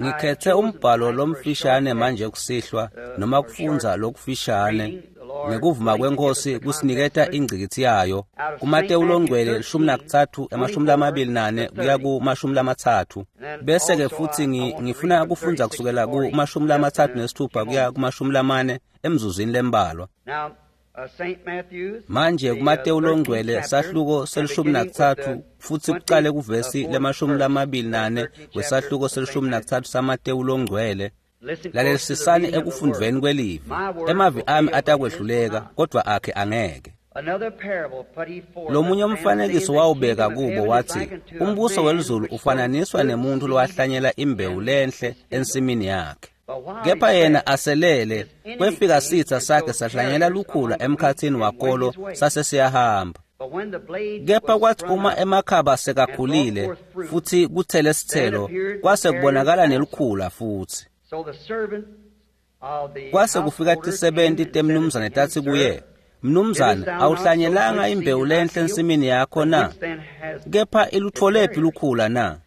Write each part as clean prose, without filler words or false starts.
Ngikhethe umbhalo lomfishane manje kusihlwa noma kufundza lokufishane ngekuvuma kwenkosi kusiniketa ingcikitsi yayo kuMatewu longcwele 13 24 kuya ku-30. Bese-ke futhi ngifuna kufundza kusukela ku-36 kuya ku-40 emzuzwini lembalwa. Manje kuMatewu longcwele sahluko se-13 futhi kucale kuvesi le-24 wesahluko se-13 saMatewu longcwele. Lalelisisani ekufundveni kwelivi. Emavi ami atakwehluleka kodwa akhe angeke. Lomunye umfanekiso wawubeka kubo wathi, umbuso welizulu ufananiswa nemuntu lowahlanyela imbewu lenhle ensimini yakhe. Kepha yena aselele, kwefika sitha sakhe sahlanyela lukhula emkhathini wakolo sase siyahamba. Kepha kwathi uma emakhaba sekakhulile futhi kuthele sithelo, kwase kubonakala nelukhula futhi. Kwase kufika tisebenti temnumzane tatsi kuye, Mnumzane, awuhlanyelanga imbewu lenhle ensimini yakho na? Kepha ilutfolephi lukhula na?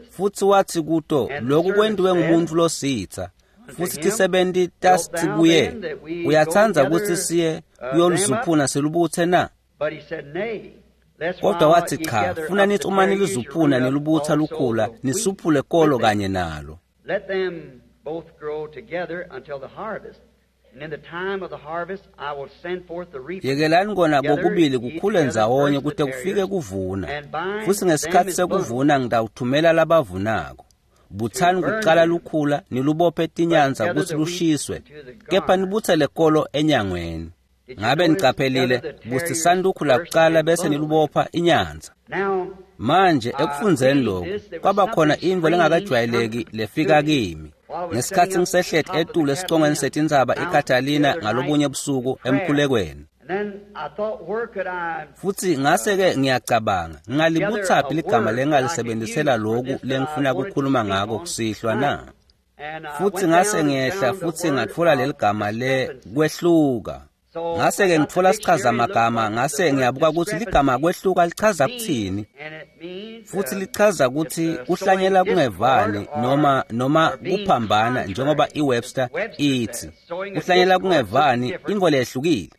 Futhi wathi kuto, lokhu kwentiwe ngumuntu lositha. Futhi tisebenti tasithi kuye, uyatsandza kutsi siye kuyoluzuphuna silubutse na? Kodwa wathi cha, funa nithi uma nilizuphuna nilubutha lukhula, nisuphule kolo kanye nalo. Let them both grow together until the harvest. And in the time of the harvest I will send forth the reapers. Yekelani kona kokubili kukhule ndzawonye kute kufike kuvuna. Futhi ngesikhathi sekuvuna ngitawuthumela labavunako. Butsani kucala lukhula nilubophe tinyanza kutsi lushiswe, kepha nibutsele kolo enyangweni. Ngabe niqaphelile busisani lukhula kucala bese nilubopha inyanza. Manje ekufundzeni lokhu kwaba khona intfo lengakajwayeleki lefika kimi. Ngesikhathi ngisehleti etulu esicongweni setintsaba iKatalina ngalobunye busuku emkhulekweni. Futhi ngase-ke ngiyacabanga, ngingalibutsaphi ligama lengingalisebenzisela loku lengifuna kukhuluma ngako kusihlwa na? Futhi ngase ngiyehla futhi ngatfola leli gama le kwehluka. Ngase-ke ngitfola sichazamagama, ngase ngiyabuka ukuthi ligama kwehluka lichaza kuthini. Futhi lichaza ukuthi kuhlanyela kungevani noma kuphambana, njengoba iWebster ithi. Kuhlanyela kungevani intfo lehlukile.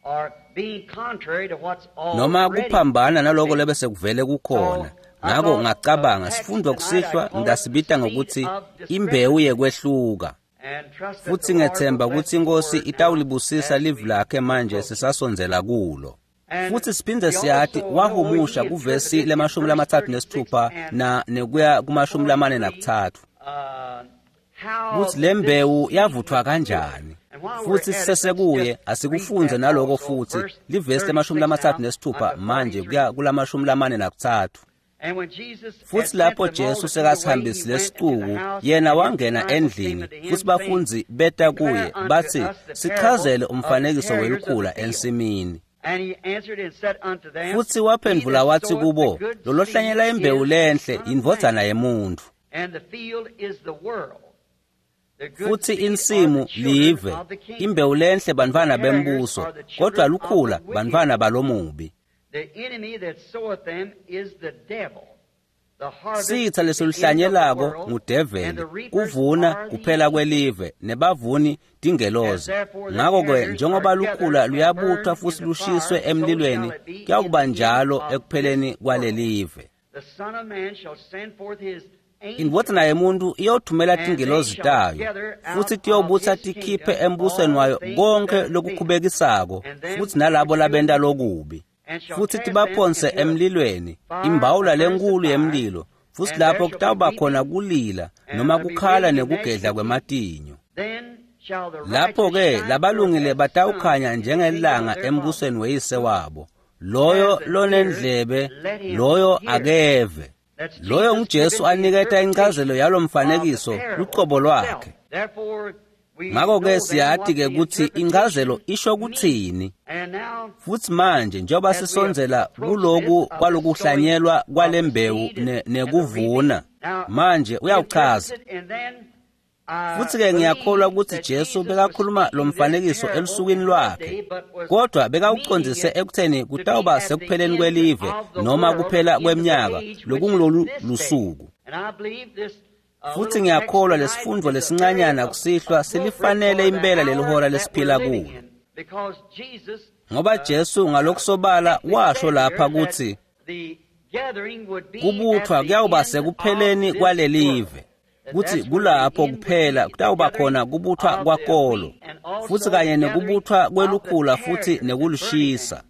Noma kuphambana naloko lebese kuvele kukhona. Ngako ngacabanga sifundo kusihlwa ngisibita ngokuthi imbewu yekwehluka. Futhi ngethemba ukuthi inkosi itawulibusisa livi lakhe manje sisasondzela kulo. Futhi siphinde siyati wahumusha kuvesi le-36 na nekuya ku-43 kuthi lembewu yavuthwa kanjani. Futhi sisesekuye asikufunze naloko futhi livesi le-36 manje kuya kula-43. Futhi lapho Jesu sekasihambisile sicuku, yena wangena endlini, futhi bafundzi beta kuye bathi, sichazele umfanekiso welukhula ensimini. Futhi waphendvula wathi kubo, lolohlanyela imbewu lenhle indvodzana yemuntu. Futhi insimu live, imbewu lenhle bantfwana bembuso, kodwa lukhula bantfwana balomubi. Sitha lesiluhlanyelako ngudeveli, kuvuna kuphela kwelive, nebavuni tingelozi. Ngako-ke njengoba lukhula luyabuthwa futhi lushiswe emlilweni, kuyakuba njalo ekupheleni kwalelive. Indvodzana yemuntu iyothumela tingelozi tayo, futhi tiyobutsa tikhiphe embusweni wayo konke lokukhubekisako, futhi nalabo labenta lokubi. Futhi tibaphonse emlilweni, imbawula lenkulu yemlilo, futhi lapho kutawuba khona kulila noma kukhala nekugedla kwematinyo. Lapho-ke labalungile batawukhanya njengelanga embusweni weyise wabo. Loyo lonendlebe, loyo akeve. Loyo nguJesu aniketa incazelo yalomfanekiso lucobo lwakhe. Ngakho-ke siyati-ke ukuthi incazelo isho kuthini. Futhi manje njengoba sisondzela kuloku kwalokuhlanyelwa kwalembewu nekuvuna, manje uyawuchaza. Futhi-ke ngiyakholwa ukuthi Jesu bekakhuluma lo mfanekiso elusukwini lwakhe, kodwa bekawucondzise ekutheni kutawuba sekupheleni kwelive noma kuphela kweminyaka lokungulolu lusuku. Futhi ngiyakholwa lesifundvo lesincanyana kusihlwa silifanele impela lelihora lesiphila kulo. Ngoba Jesu ngalokusobala washo lapha kutsi kubuthwa kuyawuba sekupheleni kwalelive, kutsi kulapho kuphela kutawuba khona kubuthwa kwakolo, futsi kanye nekubuthwa kwelukhula futhi nekulushisa,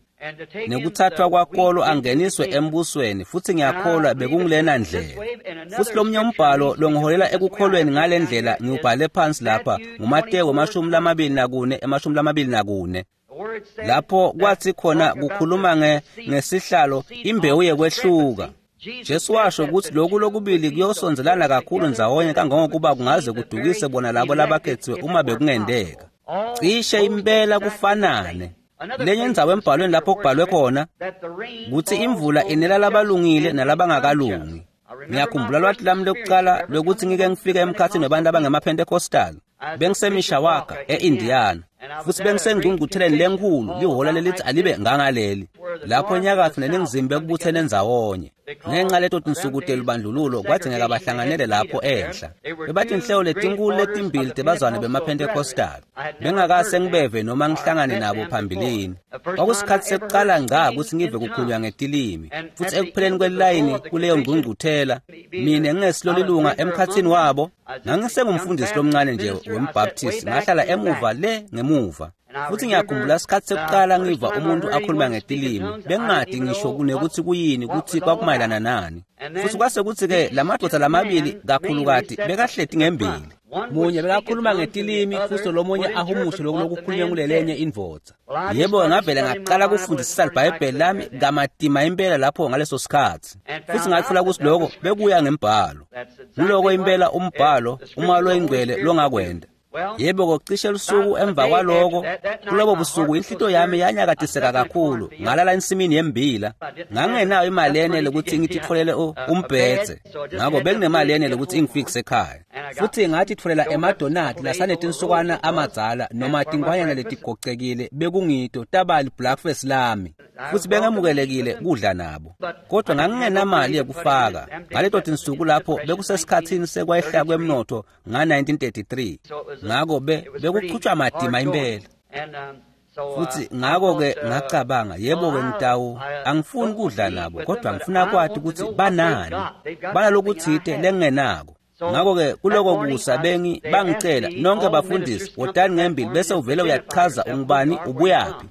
nekuthathwa kwakolo angeniswe embusweni. Futhi ngiyakholwa bekungulena ndlela. Futhi lomnye umbhalo longiholela ekukholweni ngale ndlela ngiwubhale phansi lapha nguMatewu 24:24, lapho kwathi khona kukhuluma ngesihlalo imbewu yekwehluka. Jesu washo ukuthi lokhu lokubili kuyosondelana kakhulu ndzawonye kangangokuba kungaze kudukise bona labo labakhethiwe uma bekungendeka. Cishe impela kufanane. Lenye indzawo embhalweni lapho kubhalwe khona kutsi imvula inela labalungile nalabangakalungi. Ngiyakhumbula lwati lami lokucala lwekuthi ngike ngifike emkhathini wabantu abangemaPentecostal. Bengisemishawaka e-Indiana, futhi bengisengqungqutheleni lenkhulu lihhola lelithi alibe ngangaleli, lapho enyakatho neningizimu bekubuthene ndzawonye. Ngenxa leto tinsuku telubandlululo kwadzingeka bahlanganele lapho enhla. Bebatinhlelo letinkulu letimbili tebazwane bemaPentecostal. Bengakase ngibeve noma ngihlangane nabo phambilini. Kwakusikhathi sekucala ngca kutsi ngive kukhulunywa ngetilimi, futhi ekupheleni kwelilayini kuleyo ngqungquthela, mina ngingesilo lilunga emkhathini wabo. Ngangisengumfundisi lomncane nje wemBaptist, ngahlala emuva le ngemuva. Futhi ngiyakhumbula isikhathi sekuqala ngiva umuntu akhuluma ngetilimi, bengingadi ngisho kunekuthi kuyini, kuthi kwakumayelana nani. Futhi kwase kuthi-ke lamadoda lamabili kakhulukati bekahleti ngembili. Munye bekakhuluma ngetilimi futhi lomunye ahumushe lokhu lokukhulunywa kulelenye indvodza. Yebo, ngavele ngaqala kufundisisa iBhayibheli lami kamatima impela lapho ngaleso sikhathi. Futhi ngathola ukuthi lokho bekuya ngembhalo. Nguloko impela umbhalo umoya loyingcwele longakwenda. Yebo, kocishe lusuku emva kwaloko, kulobo busuku inhlito yami yanyakatiseka kakhulu, ngalala ensimini yembila. Ngangingenayo imali yenele ukuthi ngititfolele umbhedze, ngakho benginemali yenele ukuthi ingifikise ekhaya. Futhi ngathitfolela emadonati lasanetinsukwana amadzala noma tinkwanyana letigocekile bekungito taba libreakfast lami. Futhi bengemukelekile kudla nabo, kodwa ngangingenamali yekufaka. Ngaleto tinsuku lapho bekusesikhathini sekwehla kwemnotho nga-1933, ngakho bekuchutshwa matima impela. Futhi ngakho-ke ngacabanga, yebo-ke ngitawu angifuni kudla nabo, kodwa ngifuna kwati ukuthi banani, banalokuthite lengingenako. Ngakho-ke kuloko kusa bangicela nonke bafundisi wotani ngembili bese uvele uyachaza ungubani ubuyaphi.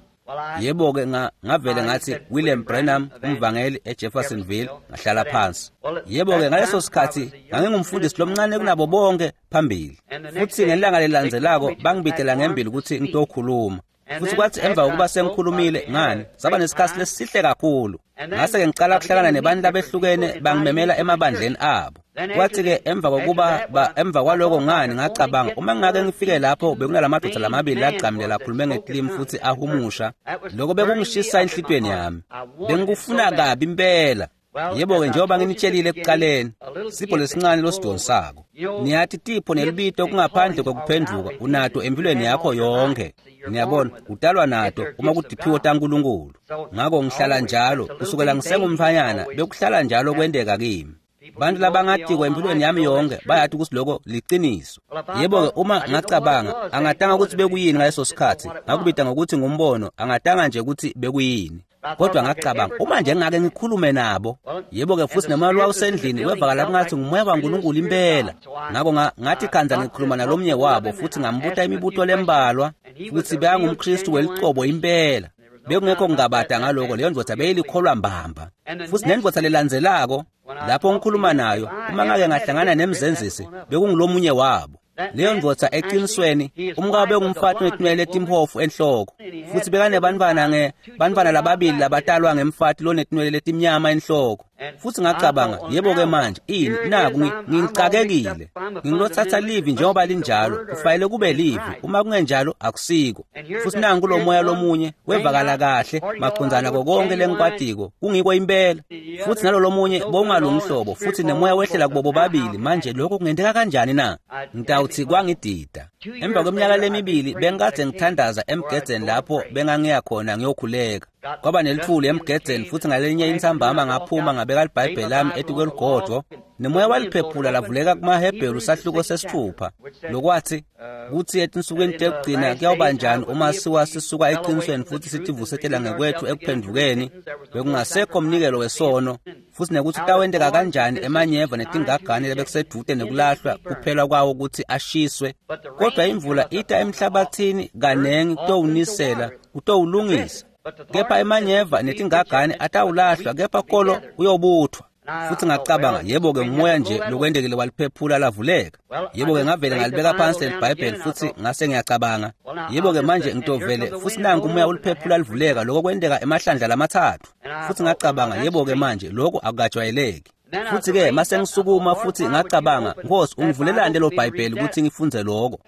Yebo-ke ngavele ngathi William Branham, umvangeli eJeffersonville, ngahlala phansi. Yebo-ke ngaleso sikhathi ngangingumfundisi lomncane kunabo bonke phambili. Futhi ngelanga lelilandzelako bangibidela ngembili ukuthi ngitokhuluma. Futhi kwathi emva kokuba sengikhulumile ngani, saba nesikhathi lesihle kakhulu. Ngase-ke ngicala kuhlangana nebantu labehlukene bangimemela emabandleni abo. Kwathi-ke emva kokuba emva kwaloko ngani ngacabanga, uma ngingake ngifike lapho bekunalamadoda lamabili lagcamile lakhulume ngetilimi futhi ahumusha, lokho bekungishisa enhlitweni yami. Bengikufuna kabi impela. Yebo-ke njengoba nginitshelile ekuqaleni, sipho lesincane losidonsako. Niyathi tipho nelibito kungaphandle kokuphenduka unato empilweni yakho yonke. Niyabona, utalwa nato uma kutiphiwo taNkulunkulu. Ngakho ngihlala njalo, kusukela ngisengumfanyana, bekuhlala njalo kwenteka kimi. Bantu labangatiko empilweni yami yonke bayathi ukuthi lokho liqiniso. Yebo-ke uma ngacabanga, angatanga ukuthi bekuyini ngaleso sikhathi, ngakubita ngokuthi ngumbono, angatanga nje ukuthi bekuyini. Kodwa ngacabanga, uma nje ngake ngikhulume nabo. Yebo-ke futhi nomoya wawusendlini wevakala kungathi ngumoya kaNkulunkulu impela. Ngakho ngathi khanza ngikhuluma nalomnye wabo futhi ngambuta imibuto lembalwa, futhi bekangumKristu welicobo impela. Bekungekho kungabada ngaloko, leyo ndvodza beyilikholwa mbamba. Futhi nendvodza lelandzelako lapho ngikhuluma nayo, uma ngake ngahlangana nemzenzisi, bekungulomunye wabo. Leyo ndvodza eqinisweni umkabo bekungumfati onetinwele letimpofu enhloko, futhi bekanebantfwana bantfwana lababili labatalwa ngemfati lonetinwele letimnyama enhloko. Futhi ngacabanga, yebo-ke manje ini naku ngicakekile, ngilothatha livi njengoba linjalo, kufanele kube livi, uma kungenjalo akusiko. Futhi nangu kulo moya lomunye wevakala kahle macondzana konke lengikwatiko, kungiko impela. Futhi nalo lomunye bowungalungi hlobo, futhi nemoya wehlela kubo bobabili. Manje lokho kungenteka kanjani na? Ngitawuthi kwangidida. Emva kweminyaka lemibili bengikade ngithandaza emgedzeni lapho bengangiya khona ngiyokhuleka. Kwaba nelithuli emgedzeni, futhi ngalenye intsambama ngaphuma ngabeka libhayibheli lami etikweligodvo. Nemoya waliphephula lavuleka kumaHebheru sahluko sesithupha, lokwathi kutsi etinsukwini tekugcina kuyawuba njani uma siwa sisuka eqinisweni futhi sitivusetela ngekwethu ekuphendvukeni, bekungasekho mnikelo wesono, futhi nekuthi kutawenteka kanjani emanyeva netingagane lebekusedvute nekulahlwa kuphela kwawo kutsi ashiswe. Kodwa imvula ita emhlabathini kanengi kutowunisela, kutowulungisa. Kepha emanyeva netingagane atawulahlwa, kepha kolo uyobuthwa. Futhi ngacabanga, yebo-ke ngumoya nje lokwentekile waliphephula lavuleka. Yebo-ke ngavele ngalibeka phansi leliBhayibheli futhi ngase ngiyacabanga, yebo-ke manje ngitovele futhi nanku umoya uliphephula livuleka, lokho kwenteka emahlandla lamathathu. Futhi ngacabanga, yebo-ke manje lokho akukajwayeleki. Futhi-ke mase ngisukuma futhi ngacabanga, Nkosi, ungivulelani lelo Bhayibheli ukuthi ngifundze lokho?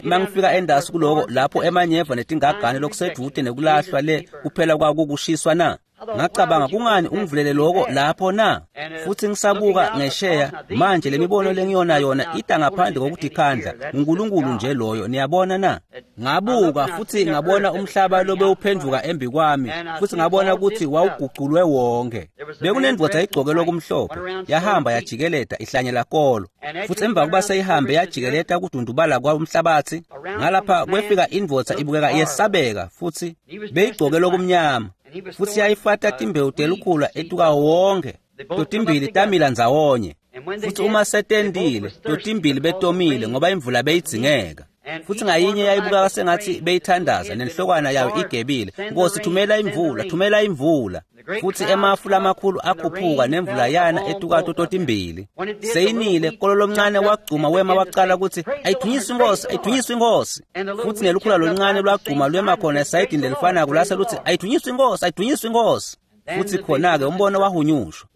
Mangifika endasi kuloko lapho emanyeva netingagane lokusedude nekulahlwa le kuphela kwakukushiswa na? Ngacabanga, kungani ungivulele lokho lapho na? Futhi ngisabuka ngesheya manje lemibono lengiyona yona ita ngaphandle kokuthi khandla, uNkulunkulu nje loyo, niyabona na? Ngabuka futhi ngabona umhlaba lobewuphenduka embi kwami, futhi ngabona ukuthi wawuguculwe wonke. Bekunendvodza igcoke lokumhlophe, yahamba yajikeleta ihlanyela kolo. Futhi emva kuba seyihambe yajikeleta kudundubala kwamhlabathi, ngalapha kwefika indvodza ibukeka yesabeka futhi beyigcoke lokumnyama. Futhi yayifata timbewu telukhula etuka wonke, totimbili tamila ndzawonye. Futhi uma setendile, totimbili betomile ngoba imvula beyidzingeka. Futhi ngayinye yayibukeka sengathi beyithandaza nenhlokwana yayo igebile, Nkosi, thumela imvula, thumela imvula. Futhi emafu lamakhulu akhuphuka nemvula yana etukato totimbili. Seyinile, kolo lomncane wagcuma wema waqala ukuthi ayithunyiswe inkosi, ayithunyiswe inkosi. Futhi nelukhula loluncane lwagcuma lwema khona esayidini lelifanako lase lutsi ayithunyiswe inkosi, ayithunyiswe inkosi. Futhi khona-ke umbono wahunyushwa.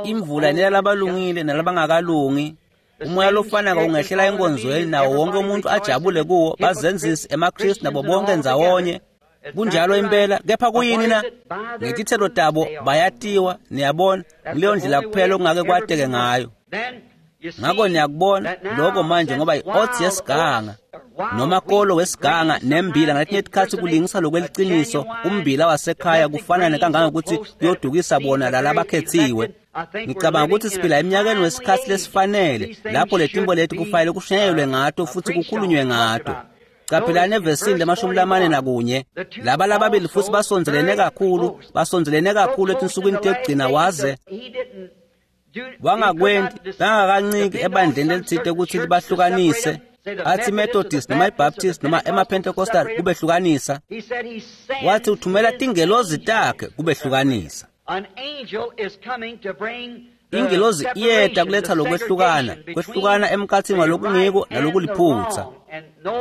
Imvula inela labalungile nalabangakalungi. Umoya lofanako ungehlela enkonzweni nawo wonke umuntu ajabule kuwo, bazenzisi, emaKristu nabo bonke ndzawonye. Kunjalo impela, kepha kuyini na? Ngetithelo tabo bayatiwa, niyabona, kuleyo ndlela kuphela okungake kwateke ngayo. Ngakho niyakubona lokho manje ngoba i-oats yesiganga noma kolo wesiganga nembila ngaletinye tikhatsi kulingisa lokweliciniso umbila wasekhaya kufanane kangangokuthi kuyodukisa bona lalabakhethiwe. Ngicabanga ukuthi siphila eminyakeni wesikhatsi lesifanele lapho letimbo leti kufanele kushunyayelwe ngato futhi kukhulunywe ngato. Qaphelani evesini le-41, laba lababili futhi basondzelene kakhulu, basondzelene kakhulu etinsukwini tekugcina waze wangakwenti bangakanciki ebandleni elithile ukuthi libahlukanise, athi Methodist noma iBaptist noma emaPentecostal kubehlukanisa. Wathi uthumela tingelozi takhe kubehlukanisa. Ingelozi iyeta kuletha lokwehlukana, kwehlukana emkhathini walokungiko nalokuliphutha.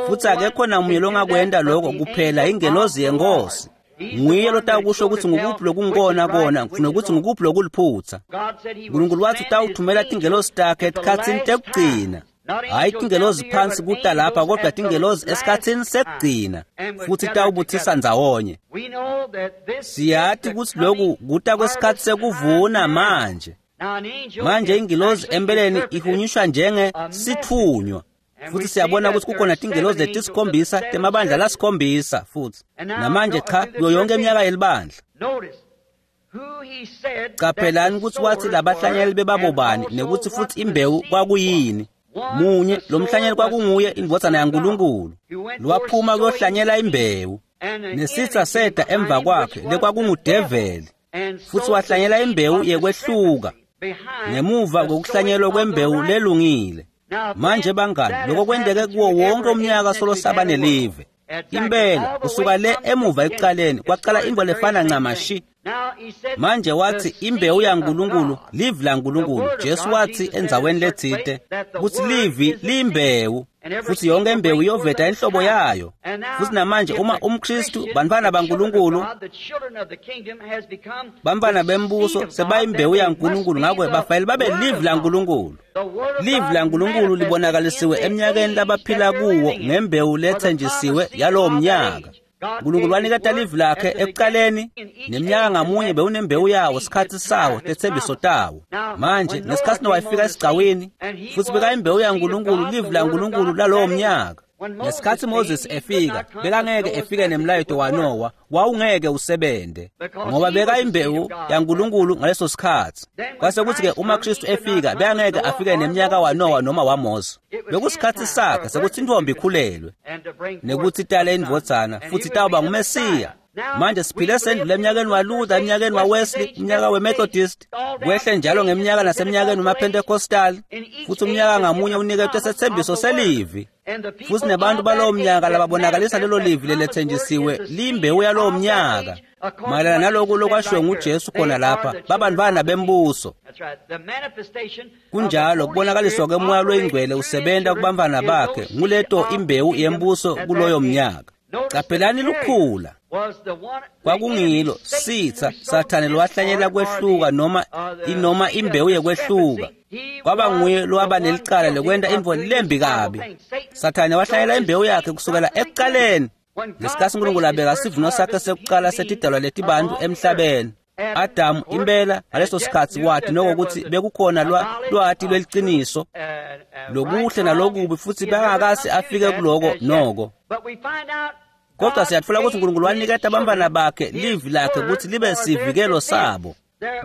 Futhi akekho namunye longakwenta lokho kuphela ingelozi yenkosi. Nguye lotawukusho ukuthi ngukuphi lokungikona kona nokuthi ngukuphi lokuliphutha. Nkulunkulu wathi utawuthumela tingelozi takhe etikhatsini tekugcina. Hhayi tingelozi phansi kuta lapha, kodwa tingelozi esikhatsini sekugcina, futhi tawubuthisa ndzawonye. Siyati ukuthi lokhu kuta kwesikhathi sekuvuna manje. Manje ingilozi empeleni ihunyushwa njenge sithunywa. Futhi siyabona ukuthi kukhona tingelozi letisikhombisa temabandla lasikhombisa futhi. Namanje cha, kuyo yonke iminyaka yelibandla. Qaphelani ukuthi wathi labahlanyeli bebabobani nekuthi futhi imbewu kwakuyini. Munye lo mhlanyeli kwakunguye indvodzana yaNkulunkulu, lwaphuma kuyohlanyela imbewu. Nesitha seda emva kwakhe lekwakungudeveli, futhi wahlanyela imbewu yekwehluka ngemuva kokuhlanyelwa kwembewu lelungile. Manje bangani, lokho kwenteke kuwo wonke umnyaka solo saba nelive. Impela kusuka le emuva ekuqaleni kwaqala into lefana ncamashi. Manje wathi imbewu yaNkulunkulu, livi laNkulunkulu. Jesu wathi endzaweni letsite kutsi livi liyimbewu, futhi yonke imbewu iyoveta inhlobo yayo. Futhi namanje uma umKristu, bantfwana baNkulunkulu, bantfwana bembuso sebayimbewu yaNkulunkulu, ngakho bafanele babe livi laNkulunkulu. Livi laNkulunkulu libonakalisiwe eminyakeni labaphila kuwo ngembewu lethenjisiwe yalowo mnyaka. Nkulunkulu waniketa livi lakhe ekuqaleni, neminyaka ngamunye bewunembewu yawo, sikhathi sawo, tethembiso tawo. Manje ngesikhathi Nowa efika esigcawini, futhi bekayimbewu yaNkulunkulu, livi laNkulunkulu lalowo mnyaka. Ngesikhatsi Moses efika, bekangeke efike nemlayeto waNowa, wawungeke usebente, ngoba bekayimbewu yaNkulunkulu ngaleso sikhatsi. Kwase kutsi-ke uma Kristu efika, bekangeke afike nemnyaka waNowa noma waMose. Bekusikhatsi sakhe sekutsi intfombi ikhulelwe, nekutsi itale indvodzana, futsi itawuba nguMesiya. Manje siphile sendlule emnyakeni waLuther, emnyakeni waWesley, umnyaka weMethodist, kwehle njalo ngemnyaka nasemnyakeni wemaPentecostal, futsi umnyaka ngamunye uniketwe setsembiso selivi. Futsi nebantu balowo mnyaka lababonakalisa lelo livi lelethenjisiwe liyimbewu yalowo mnyaka. Mayelana naloku lokwashiwo nguJesu khona lapha, babantfwana bembuso. Kunjalo kubonakaliswa kwemoya loyingcwele usebenta kubantfwana bakhe, nguleto imbewu yembuso kuloyo mnyaka. Caphelani lukhula kwakungilo sitsa Sathane lowahlanyela kwehluka noma inoma imbewu yekwehluka. Kwaba nguye lowaba nelicala lekwenta intfo lembi kabi. Sathane wahlanyela imbewu yakhe kusukela ekucaleni. Ngesikhatsi uNkulunkulu abeka sivuno sakhe sekucala setidalwa letibantu emhlabeni, Adamu impela ngaleso sikhatsi wati nokutsi bekukhona lwati lweliciniso lokuhle nalokubi, futsi bengakase afike kuloko noko. Kodwa siyatfola kutsi uNkulunkulu waniketa bantfwana bakhe livi lakhe kutsi libe sivikelo sabo.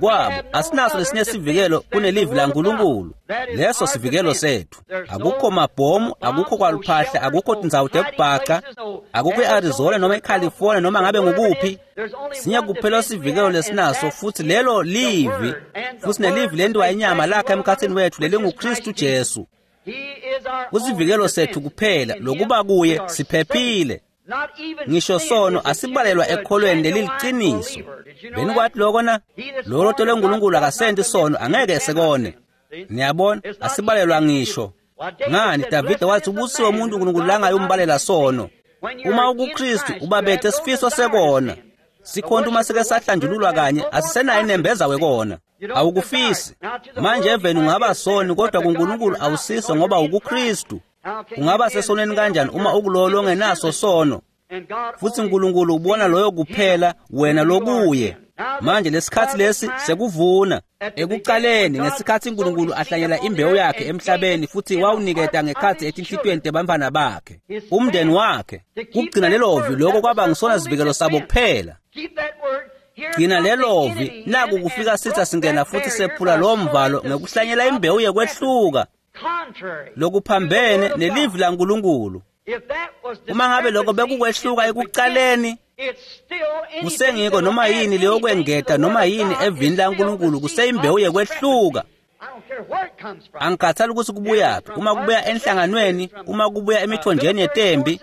Kwabo asinaso lesinye sivikelo kunelivi laNkulunkulu. Leso sivikelo setfu. Akukho mabhomu, akukho kwaluphahla, akukho tindzawo tekubhaca, akukho e-Arizona noma eCalifornia noma ngabe ngukuphi. Sinye kuphela sivikelo lesinaso, futsi lelo livi, futsi nelivi lentiwa inyama lakhe emkhatsini wetfu lelinguKristu Jesu. Kusivikelo setfu kuphela, lokuba kuye siphephile. Ngisho sono asibalelwa ekholweni leliliciniso. Benikwati loko na? Lowo lotelwe nguNkulunkulu akasenti sono, angeke sekone. Niyabona, asibalelwa ngisho. Ngani Davide wathi ubusiwe umuntu uNkulunkulu langayumbalela sono. Uma ukuKristu ubabethe sifiso sekona. Sikhonto uma sike sahlanjululwa kanye asisenayo inembeza wekona. Awukufisi. Manje eveni ungaba soni, kodwa kuNkulunkulu awusiso ngoba ukuKristu. Ungaba sesonweni kanjani uma ukulowo longenaso sono? Futsi uNkulunkulu ubona loyo kuphela wena lokuye. Manje lesikhatsi lesi sekuvuna. Ekucaleni ngesikhatsi uNkulunkulu ahlanyela imbewu yakhe emhlabeni futsi wawuniketa ngekhatsi etinhlitiyweni tebantfwana bakhe, umndeni wakhe, kugcina lelovi, lokho kwaba ngisona sivikelo sabo kuphela. Gcina lelovi, naku kufika sitsa singena futsi sephula lowo mvalo ngekuhlanyela imbewu yekwehluka lokuphambene nelivi laNkulunkulu. Uma ngabe lokho bekukwehluka ekucaleni, kusengiko noma yini leyokwengeta noma yini evini laNkulunkulu kuseyimbewu yekwehluka. Angikhathali ukuthi kubuyaphi, uma kubuya enhlanganweni, uma kubuya emithonjeni yetembi,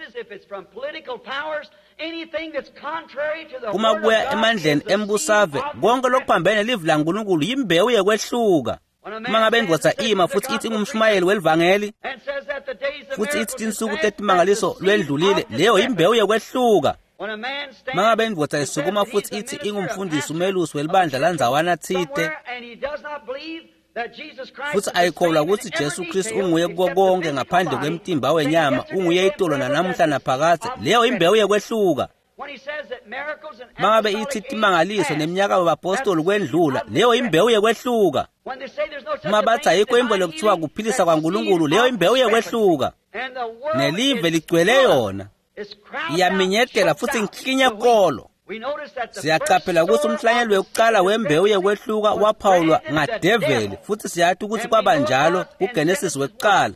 uma kubuya emandleni embusave, konke lokuphambene nelivi laNkulunkulu yimbewu yekwehluka. Uma ngabe indvodza ima futsi ithi ingumshumayeli welivangeli, futsi ithi tinsuku tetimangaliso lwendlulile, leyo yimbewu yekwehluka. Uma ngabe indvodza isukuma futsi ithi ingumfundisi umelusi welibandla landzawana tsite, futsi ayikholwa kutsi Jesu Kristu unguye kuko konke ngaphandle kwemtimba wenyama, unguye itolo nanamuhla naphakadze, leyo imbewu yekwehluka. Mangabe ithi timangaliso neminyaka wabapostoli kwendlula, leyo imbewu yekwehluka. Uma bathi ayikho imbo lekuthiwa kuphilisa kwaNkulunkulu, leyo imbewu yekwehluka. Nelive ligcwele yona, iyaminyetela futsi nklinye kolo. Siyacaphela ukuthi umhlanyelo wekucala wembewu yekwehluka waphawulwa ngadeveli, futhi siyati ukuthi kwaba njalo kuGenesis wekucala.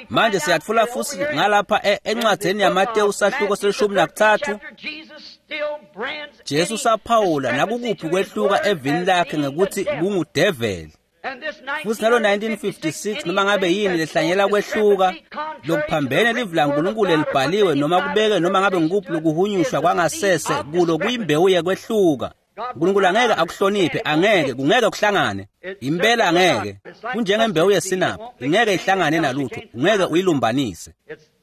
Manje siyatfola futsi ngalapha encwadzini yaMatewu sahluko se-13, Jesu saphawula nakukuphi kwehluka evini lakhe ngekuthi kungudeveli. Futsi nalo 1956 noma ngabe yini lehlanyela kwehluka lokuphambene livi laNkulunkulu lelibhaliwe noma kubeke noma ngabe ngukuphi lokuhunyushwa kwangasese kulo kuyimbewu yekwehluka. uNkulunkulu angeke akuhloniphe, angeke, kungeke kuhlangane. Impela angeke. Kunjengembewu yesinaphi, ingeke ihlangane nalutho, ungeke uyilumbanise.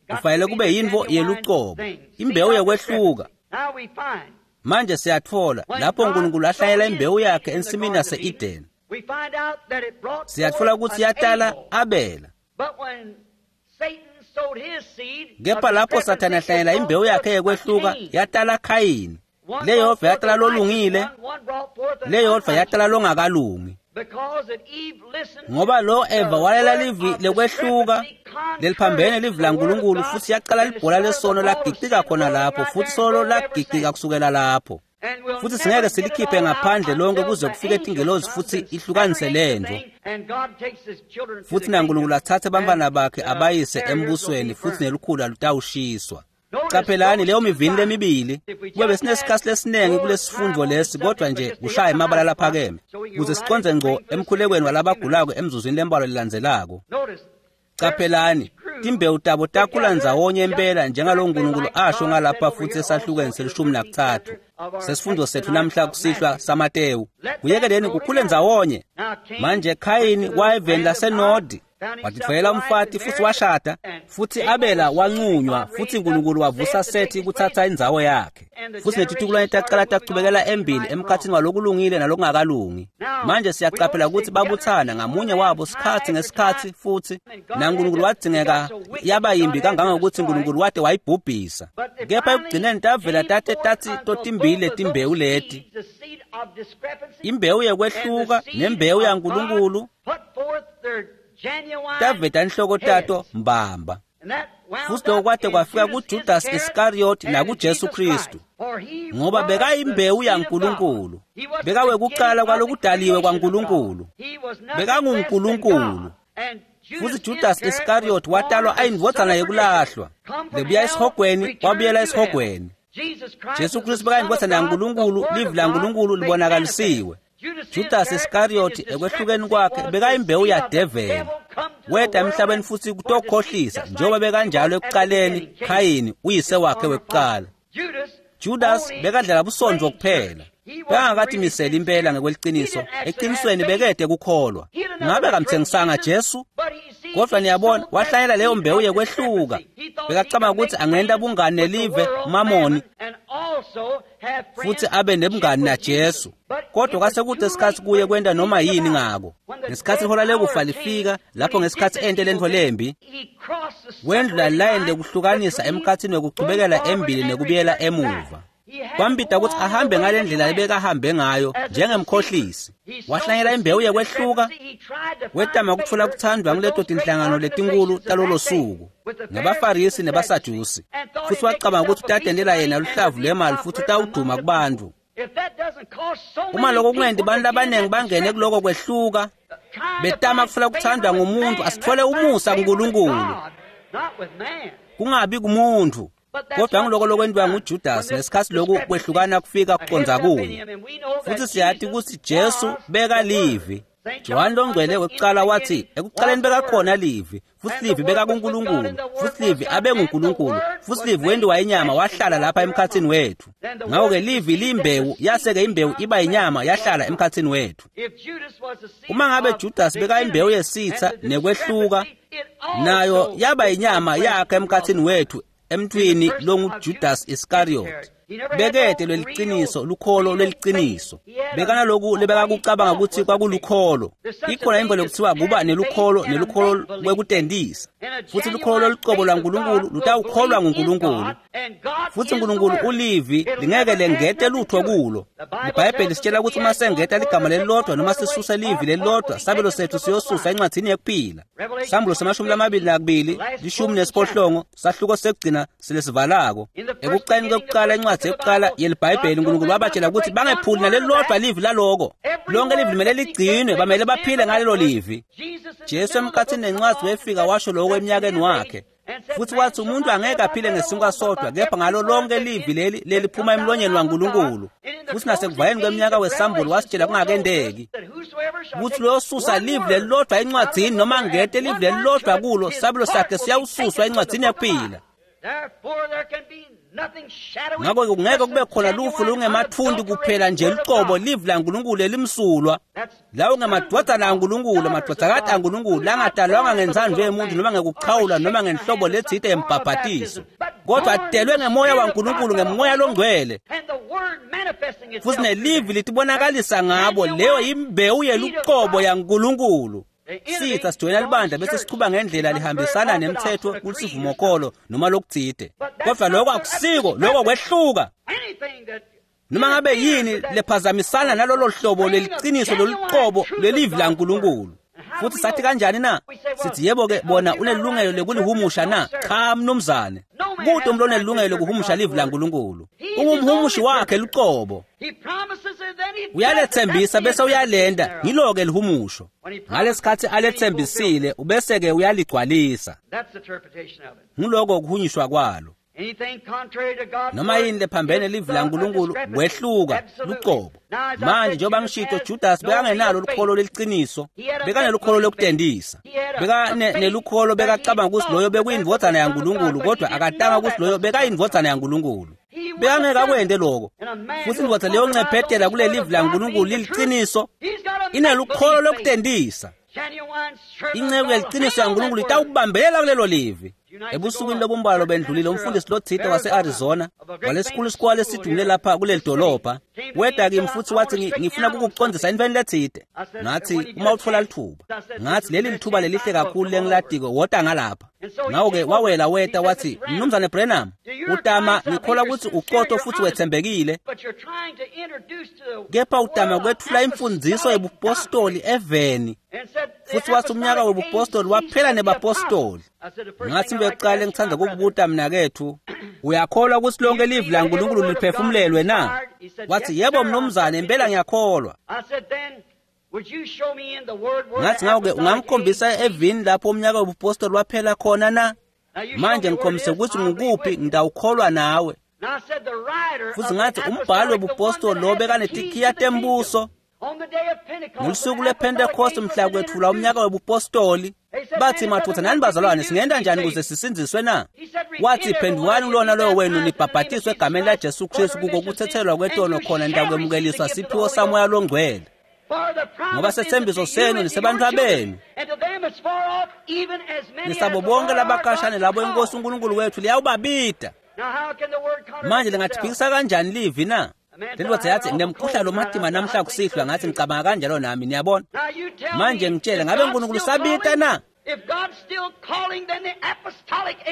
Kufanele kube yintfo yelucobo, imbewu yekwehluka. Manje siyatfola lapho uNkulunkulu ahlanyela imbewu yakhe ensimini yase-Edeni. Siyatfola kutsi yatala Abela. Kepha lapho Sathane ahlanyela imbewu yakhe yekwehluka, yatala Khayini. Leyodvwa yatala lolungile, leyodvwa yatala longakalungi. Ngoba lo Eva walela livi lekwehluka leliphambene livi laNkulunkulu, futhi yaqala libhola lesono lagicika khona lapho, futhi solo lagicika kusukela lapho. Futhi singeke silikhiphe ngaphandle lonke kuze kufike tingelozi futhi ihlukanise lento. Futhi naNkulunkulu athathe abantwana bakhe abayise embusweni, futhi nelukhula lutawushiswa. Qaphelani leyo mivini lemibili. Kube besinesikhathi lesiningi kulesifundo lesi, kodwa nje kushaya emabala laphakeme ukuze siconze ngco emkhulekweni walabagulako emzuzwini lembalwa lelandzelako. Qaphelani timbewu tabo takhula ndzawonye impela njengalo Nkulunkulu asho ngalapha futhi esahlukweni se-13 sesifundo sethu namhla kusihlwa saMatewu. Kuyekeleni kukhule ndzawonye. Manje Khayini wayeveni laseNodi, watitfolela umfati futhi washada, futhi Abela wanqunywa, futhi uNkulunkulu wavusa Sethi kuthatha indzawo yakhe. Futhi netitukulwane taqala tachubekela embili emkhathini walokulungile nalokungakalungi. Manje siyaqaphela ukuthi babuthana ngamunye wabo sikhathi ngesikhathi, futhi naNkulunkulu wadzingeka yaba yimbi kangangokuthi uNkulunkulu wade wayibhubhisa. Kepha ekugcineni tavela tate tathi totimbili letimbewu leti, imbewu yekwehluka nembewu yaNkulunkulu, taveta inhloko tato mbamba. Futhi lokho kwade kwafika kuJudas Iscariot nakuJesu Kristu, ngoba bekayimbewu yaNkulunkulu, bekawekuqala kwalokudaliwe kwaNkulunkulu, bekanguNkulunkulu. Futhi Judas Iscariot watalwa ayindvodzana yekulahlwa, lebuya esihogweni wabuyela esihogweni. Jesu Kristu bekayindvodzana yaNkulunkulu, livi laNkulunkulu libonakalisiwe. Judas Iscariot ekwehlukeni kwakhe bekayimbewu yadeveli, weta emhlabeni futhi kutokhohlisa njengoba bekanjalo ekuqaleni Khayini uyise wakhe wekuqala. Judas bekadlala busonto kuphela, bekangakatimiseli impela ngekweliciniso, eqinisweni bekede kukholwa. Ngabe kamthengisanga Jesu? Kodwa niyabona wahlanyela leyo mbewu yekwehluka. Bekacabanga ukuthi angenta bungani nelive Mamoni futhi abe nebungani naJesu. Kodwa kwasekude isikhathi kuye kwenta noma yini ngako. Ngesikhathi ihola lekufa lifika, lapho ngesikhathi ente lentfo lembi, wendlula layini lekuhlukanisa emkhathini wekuchubekela embili nekubuyela emuva. Kwambida ukuthi ahambe ngale ndlela ebekahambe ngayo njengemkhohlisi. Wahlanyela imbewu yekwehluka, wetama kutfola kuthandwa nguleto tinhlangano letinkulu talolo suku nebaFarisi nebaSadusi, futhi wacabanga ukuthi utatendela yena luhlavu lwemali futhi utawuduma kubantu. Uma lokho kungenti bantu labaningi bangene kuloko kwehluka, betama kufuna kuthandwa ngumuntu, asithole umusa kuNkulunkulu, kungabi kumuntu. Kodwa ngiloko lokwentiwa nguJudas ngesikhathi lokhu kwehlukana kufika kuconza kuye. Futhi siyati ukuthi Jesu bekalivi. Johane longcwele wekuqala wathi ekuqaleni bekakhona livi, futhi livi bekakuNkulunkulu, futhi livi abenguNkulunkulu, futhi livi wentiwa inyama wahlala lapha emkhathini wethu. Ngakho-ke livi liyimbewu, yase-ke imbewu iba inyama yahlala emkhathini wethu. Uma ngabe Judas bekayimbewu yesitha nekwehluka, nayo yaba inyama yakhe emkhathini wethu emntwini longuJudas Iscariot. Bekede lweliciniso, lukholo lweliciniso. Bekanaloku lebekakucabanga ukuthi kwakulukholo. Ikhona imvelo kuthiwa kuba nelukholo nelukholo lwekutendisa. Futhi lukholo lolucobo lwaNkulunkulu lutawukholwa nguNkulunkulu. Futhi uNkulunkulu ulivi lingeke lengete lutho kulo. IBhayibheli lisitshela ukuthi uma sengeta ligama lelilodwa noma sisuse livi lelilodwa, sabelo sethu siyosuswa encwadini yekuphila. Sambulo se-22, 18, sahluko sekugcina silesivalako. Ekuqaleni kwekuqala incwadi yokuqala yeliBhayibheli, uNkulunkulu wabatshela ukuthi bangephuli nalelilodwa livi laloko. Lonke livi limele ligcinwe, bamele baphile ngalelo livi. Jesu emkhathini nencwadi wefika washo lokho eminyakeni wakhe. Futhi wathi umuntu angeke aphile ngesinkwa sodwa, kepha ngalo lonke livi leli leliphuma emlonyeni waNkulunkulu. Futhi nasekuvaleni kweminyaka wesambulo wasitshela kungakendeki ukuthi loyosusa livi lelilodwa encwadini noma ngete livi lelilodwa kulo, sabelo sakhe siyawususwa encwadini yekuphila. Ngakho-ke kungeke kube khona lufu lungemathunti kuphela nje lucobo livi laNkulunkulu elimsulwa. Lawo ngamadvodzana aNkulunkulu, amadvodzakati aNkulunkulu langadalwanga ngentsandvo yemuntu noma ngekuchawula noma ngenhlobo letsite yembhabhatiso, kodwa atelwe ngemoya waNkulunkulu, ngemoya longcwele. Futhi nelivi litibonakalisa ngabo, leyo imbewu yelucobo yaNkulunkulu. Sitha sijoyina libandla bese sichuba ngendlela lihambisana nemthetho kulisivumokholo noma lokutsite. Kodwa lokho akusiko, lokho kwehluka. Noma ngabe yini lephazamisana nalolo hlobo leliciniso loluqobo lwelivi laNkulunkulu. Futhi sathi kanjani na? Sithi yebo-ke bona unelungelo lekulihumusha na? Cha mnumzane. Kute umuntu onelungelo lokuhumusha livi laNkulunkulu. Ungumhumushi wakhe luqobo. Uyalethembisa bese uyalenda, ngilo-ke lihumusho. Ngalesikhathi alethembisile ubese-ke uyaligcwalisa. Nguloko kuhunyishwa kwalo. Noma yini lephambene livi laNkulunkulu kwehluka luqobo. Manje njengoba ngishito, Judas bekangenalo lukholo leliciniso, bekanelukholo lokutendisa, bekanelukholo, bekacabanga ukuthi loyo bekuyindvodzana yaNkulunkulu, kodwa akatanga ukuthi loyo bekayindvodzana yaNkulunkulu. Bekangeke akwente loko. Futhi indvodza leyo ncephetela kule livi laNkulunkulu liliciniso inelukholo lokutendisa. Inceku yeliciniso yaNkulunkulu itawubambelela kulelo livi. Ebusukwini lobumbalwa bendlulile, umfundisi lotsite wase-Arizona walesikhulu isikwale esidumile lapha kuleli dolobha weda kimi futhi wathi, ngifuna kukucondzisa entweni letsite. Ngathi, uma utfola lithuba. Ngathi, leli lithuba lelihle kakhulu lengilatiko, wota ngalapha. Ngako-ke wawela weta wathi, Mnumzane Branham, utama ngikholwa ukuthi uqotho futhi wethembekile, kepha utama kwetfula imfundziso yebupostoli eveni. Futhi wathi umnyaka webupostoli waphela nebapostoli. Ngathi bekuqala ngithanda ukukubuta mnakethu, uyakholwa ukuthi lonke livi laNkulunkulu liphefumulelwe na? Wathi, yebo mnumzane, impela ngiyakholwa. Ngathi, ngako-ke ungangikhombisa evini lapho umnyaka wobupostoli waphela khona na? Manje ngikhombise ukuthi ngukuphi, ngitawukholwa nawe. Futhi ngathi, umbhalo wobupostoli lo bekanetikhiya tembuso. Ngolusuku lwePhentekoste mhla kwethulwa umnyaka wobupostoli, bathi, mathutha nani bazalwane, singenta njani ukuze sisindziswe na? Wathi, phendukani kulona loyo wenu nibhabhatiswe egameni laJesu Kristu kuko kuthethelwa kwetono, khona nitakwemukeliswa siphiwo saMoya loNgcwele. Ngoba sethembiso senu nisebantfwabenu nisabo bonke labakashane labo inkosi uNkulunkulu wethu liyawubabida. Manje lingathiphikisa kanjani livi na? Lendvodza yathi, nginemkhuhlane lomatima namhla kusihlwa. Ngathi, ngicabanga kanjalo nami, niyabona. Manje ngitshele, ngabe uNkulunkulu usabita na?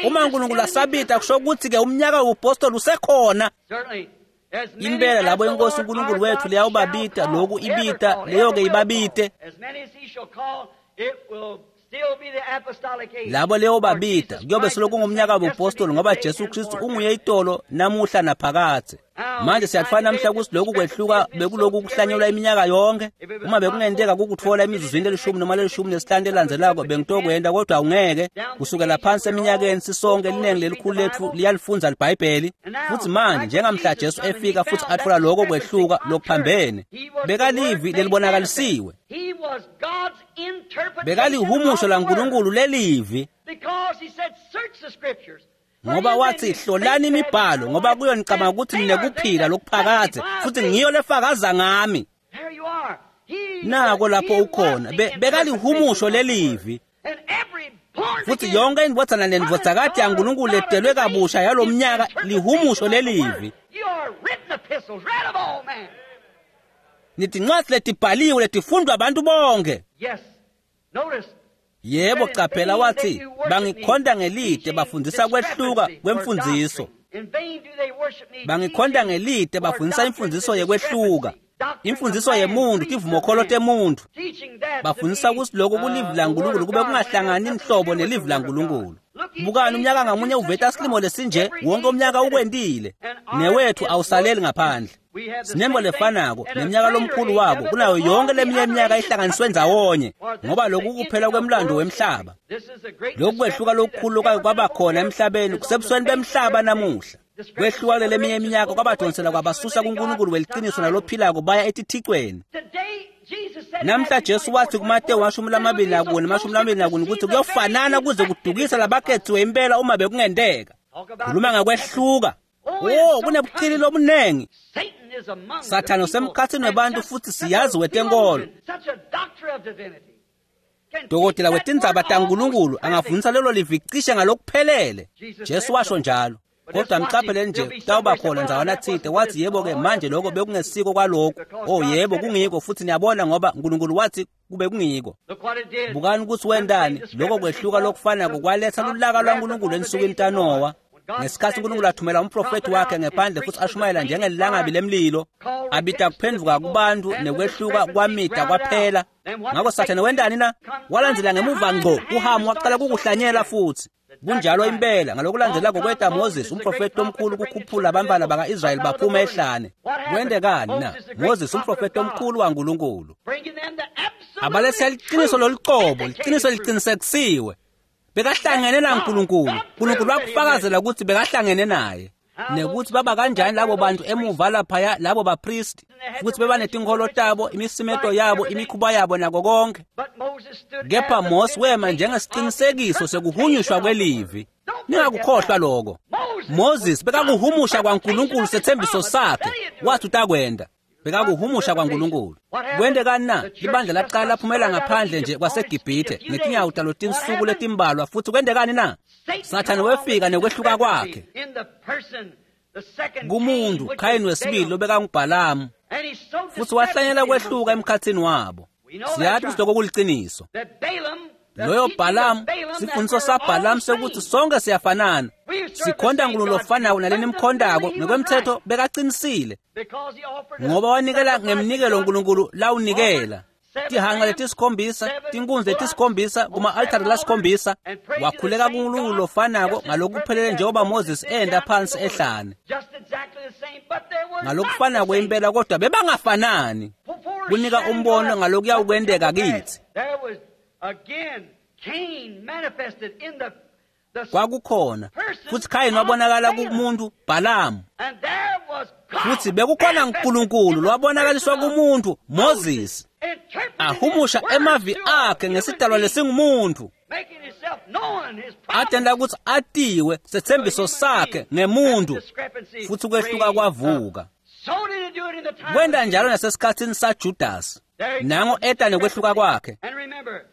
Uma uNkulunkulu asabita, kusho ukuthi-ke umnyaka wobupostoli usekhona. Impela labo inkosi uNkulunkulu wethu liyawubabita, loku ibita, leyo-ke ibabite. Labo leyo babita kuyobe selokhu ngumnyaka wobupostoli, ngoba Jesu Kristu unguye itolo namuhla naphakadze. Manje siyatfana namhla ukuthi lokhu kwehluka bekuloku kuhlanyelwa iminyaka yonke. Uma bekungenteka kukutfola emizuzwini lelishumi noma lelishumi nesihlanu lelandzelako, bengitokwenta, kodwa awungeke. Kusukela phansi eminyakeni sisonke, liningi lelikhulu letfu liyalifundza libhayibheli. Futhi manje njengamhla Jesu efika futhi atfola lokho kwehluka lokuphambene, bekalivi lelibonakalisiwe, bekalihumusho laNkulunkulu lelivi, ngoba wathi, hlolani imibhalo, ngoba kuyo nicabanga ukuthi ninekuphila lokuphakadze, futhi ngiyo lefakaza ngami. Nako lapho ukhona. Bekalihumusho lelivi. Futhi yonke indvodzana nendvodzakati yaNkulunkulu letelwe kabusha yalo mnyaka lihumusho lelivi. Nitincwadzi letibhaliwe letifundwa abantu bonke. Yebo, caphela, wathi, bangikhonta ngelide, bafundisa kwehluka kwemfundziso. Bangikhonta ngelide, bafundisa imfundziso yekwehluka, imfundziso yemuntu, tivumokholo temuntu. Bafundisa ukuthi lokho kulivi laNkulunkulu kube kungahlangani inhlobo nelivi laNkulunkulu. Bukani, umnyaka ngamunye uveta silimo lesinje, wonke umnyaka ukwentile, newethu awusaleli ngaphandle. Sinembo lefanako neminyaka lomkhulu wabo kunayo yonke leminye iminyaka ihlanganiswe ndzawonye, ngoba lokhu kuphela kwemlando wemhlaba. Lokhu kwehluka lokukhulu lokwake kwaba khona emhlabeni kusebusweni bemhlaba namuhla. Kwehluka kulele eminye iminyaka kwabadonsela kwabasusa kuNkulunkulu weliciniso nalophilako baya etithicweni. Namhla Jesu wathi kuMateyu 24 24 ukuthi kuyofanana kuze kudukisa labakhethiwe impela uma bekungenteka. Khuluma ngakwehluka. Oh, kunebuqili lobunengi. Sathane usemkhathini webantu futhi siyazi wetenkolo. Dokotela wetindzaba taNkulunkulu angafundisa lelo livi cishe ngalokuphelele. Jesu washo njalo. Kodwa mcaphele nje, kutawuba khona ndzawana tsite wathi, yebo-ke manje lokho bekungesiko kwalokhu. Oh yebo, kungiko, futhi niyabona, ngoba uNkulunkulu wathi kube kungiko. Bukani ukuthi wentani. Lokho kwehluka lokufanako kwaletha lulaka lwaNkulunkulu ensukwini taNowa. Ngesikhatsi uNkulunkulu athumela umprofethi wakhe ngephandle futhi ashumayela njengelilangabi lemlilo, abita kuphendvuka kubantu nekwehluka kwamida kwaphela. Ngakho Sathane wentani na? Walandzela ngemuva ngco kuHamu waqala kukuhlanyela futhi. Kunjalo impela ngalokulandzelako kweta Moses umprofeti omkhulu kukhuphula abantwana baka-Israyeli baphuma ehlane. Kwentekani na? Moses umprofeti omkhulu waNkulunkulu. Abaletha liqiniso lolucobo, liqiniso liqinisekisiwe. Bekahlangene naNkulunkulu. uNkulunkulu wakufakazela ukuthi bekahlangene naye. Nekuthi baba kanjani labo bantu emuva laphaya labo bapristi futhi beba netinkholo tabo, imisimeto yabo, imikhuba yabo nako konke. Kepha Mose wema njengesiqinisekiso sekuhunyushwa kwelivi. Ningakukhohlwa lokho. Moses bekakuhumusha kwaNkulunkulu sethembiso sakhe, wathi utakwenda. Bekakuhumusha kwaNkulunkulu. Kwentekani na? Ibandla laqala laphumela ngaphandle nje kwaseGibhithe ngetinyawo talo tinsuku letimbalwa futhi kwentekani na? Sathane wefika nekwehluka kwakhe kumuntu Khayini wesibili lobekangubhalamu futhi wahlanyela kwehluka emkhathini wabo. Siyathi ukuthi lokho kuliciniso. Loyo Bhalamu, sifundiso saBhalamu sekuthi sonke siyafanana, sikhonta uNkulunkulu ofanayo naleni nimkhondako. Ngokwemthetho bekaqinisile ngoba wanikela ngemnikelo uNkulunkulu lawunikela. Tihanga letisikhombisa, tinkunzi letisikhombisa kuma-altari lasikhombisa. Wakhuleka kuNkulunkulu lofanako ngalokuphelele njengoba Moses enda phansi ehlane. Ngalokufanako impela, kodwa bebangafanani. Kunika umbono ngalokuyawukwenteka kithi. Kwakukhona futhi Khayini wabonakala kumuntu Bhalamu, futhi bekukhona uNkulunkulu lwabonakaliswa kumuntu Moses, ahumusha emavi akhe ngesidalwa lesingumuntu, atenda ukuthi atiwe sethembiso sakhe ngemuntu, futhi kwehluka kwavuka. Kwenta njalo nasesikhatsini saJudas, nango eta nekwehluka kwakhe.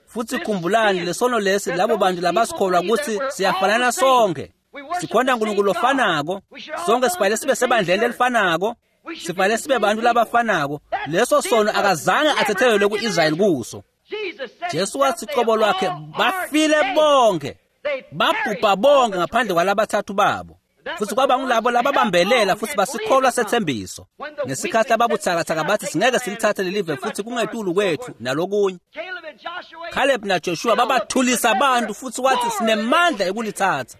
Futhi khumbulani lesono lesi labo bantu labasikholwa ukuthi siyafanana sonke, sikhonta uNkulunkulu ofanako, sonke sifanele sibe sebandleni lelifanako, sifanele sibe bantu labafanako. Leso sono akazange athethelelwe ku-Israyeli kuso. Jesu wathi qobo lwakhe bafile bonke, babhubha bonke ngaphandle kwalabathathu babo. Futhi kwaba ngulabo lababambelela futhi basikholwa sethembiso. Ngesikhathi lababuthakathaka bathi singeke silithathe lelive futhi kungetulu kwethu nalokunye. Caleb naJoshua babathulisa abantu futhi wathi sinemandla ekulithatha.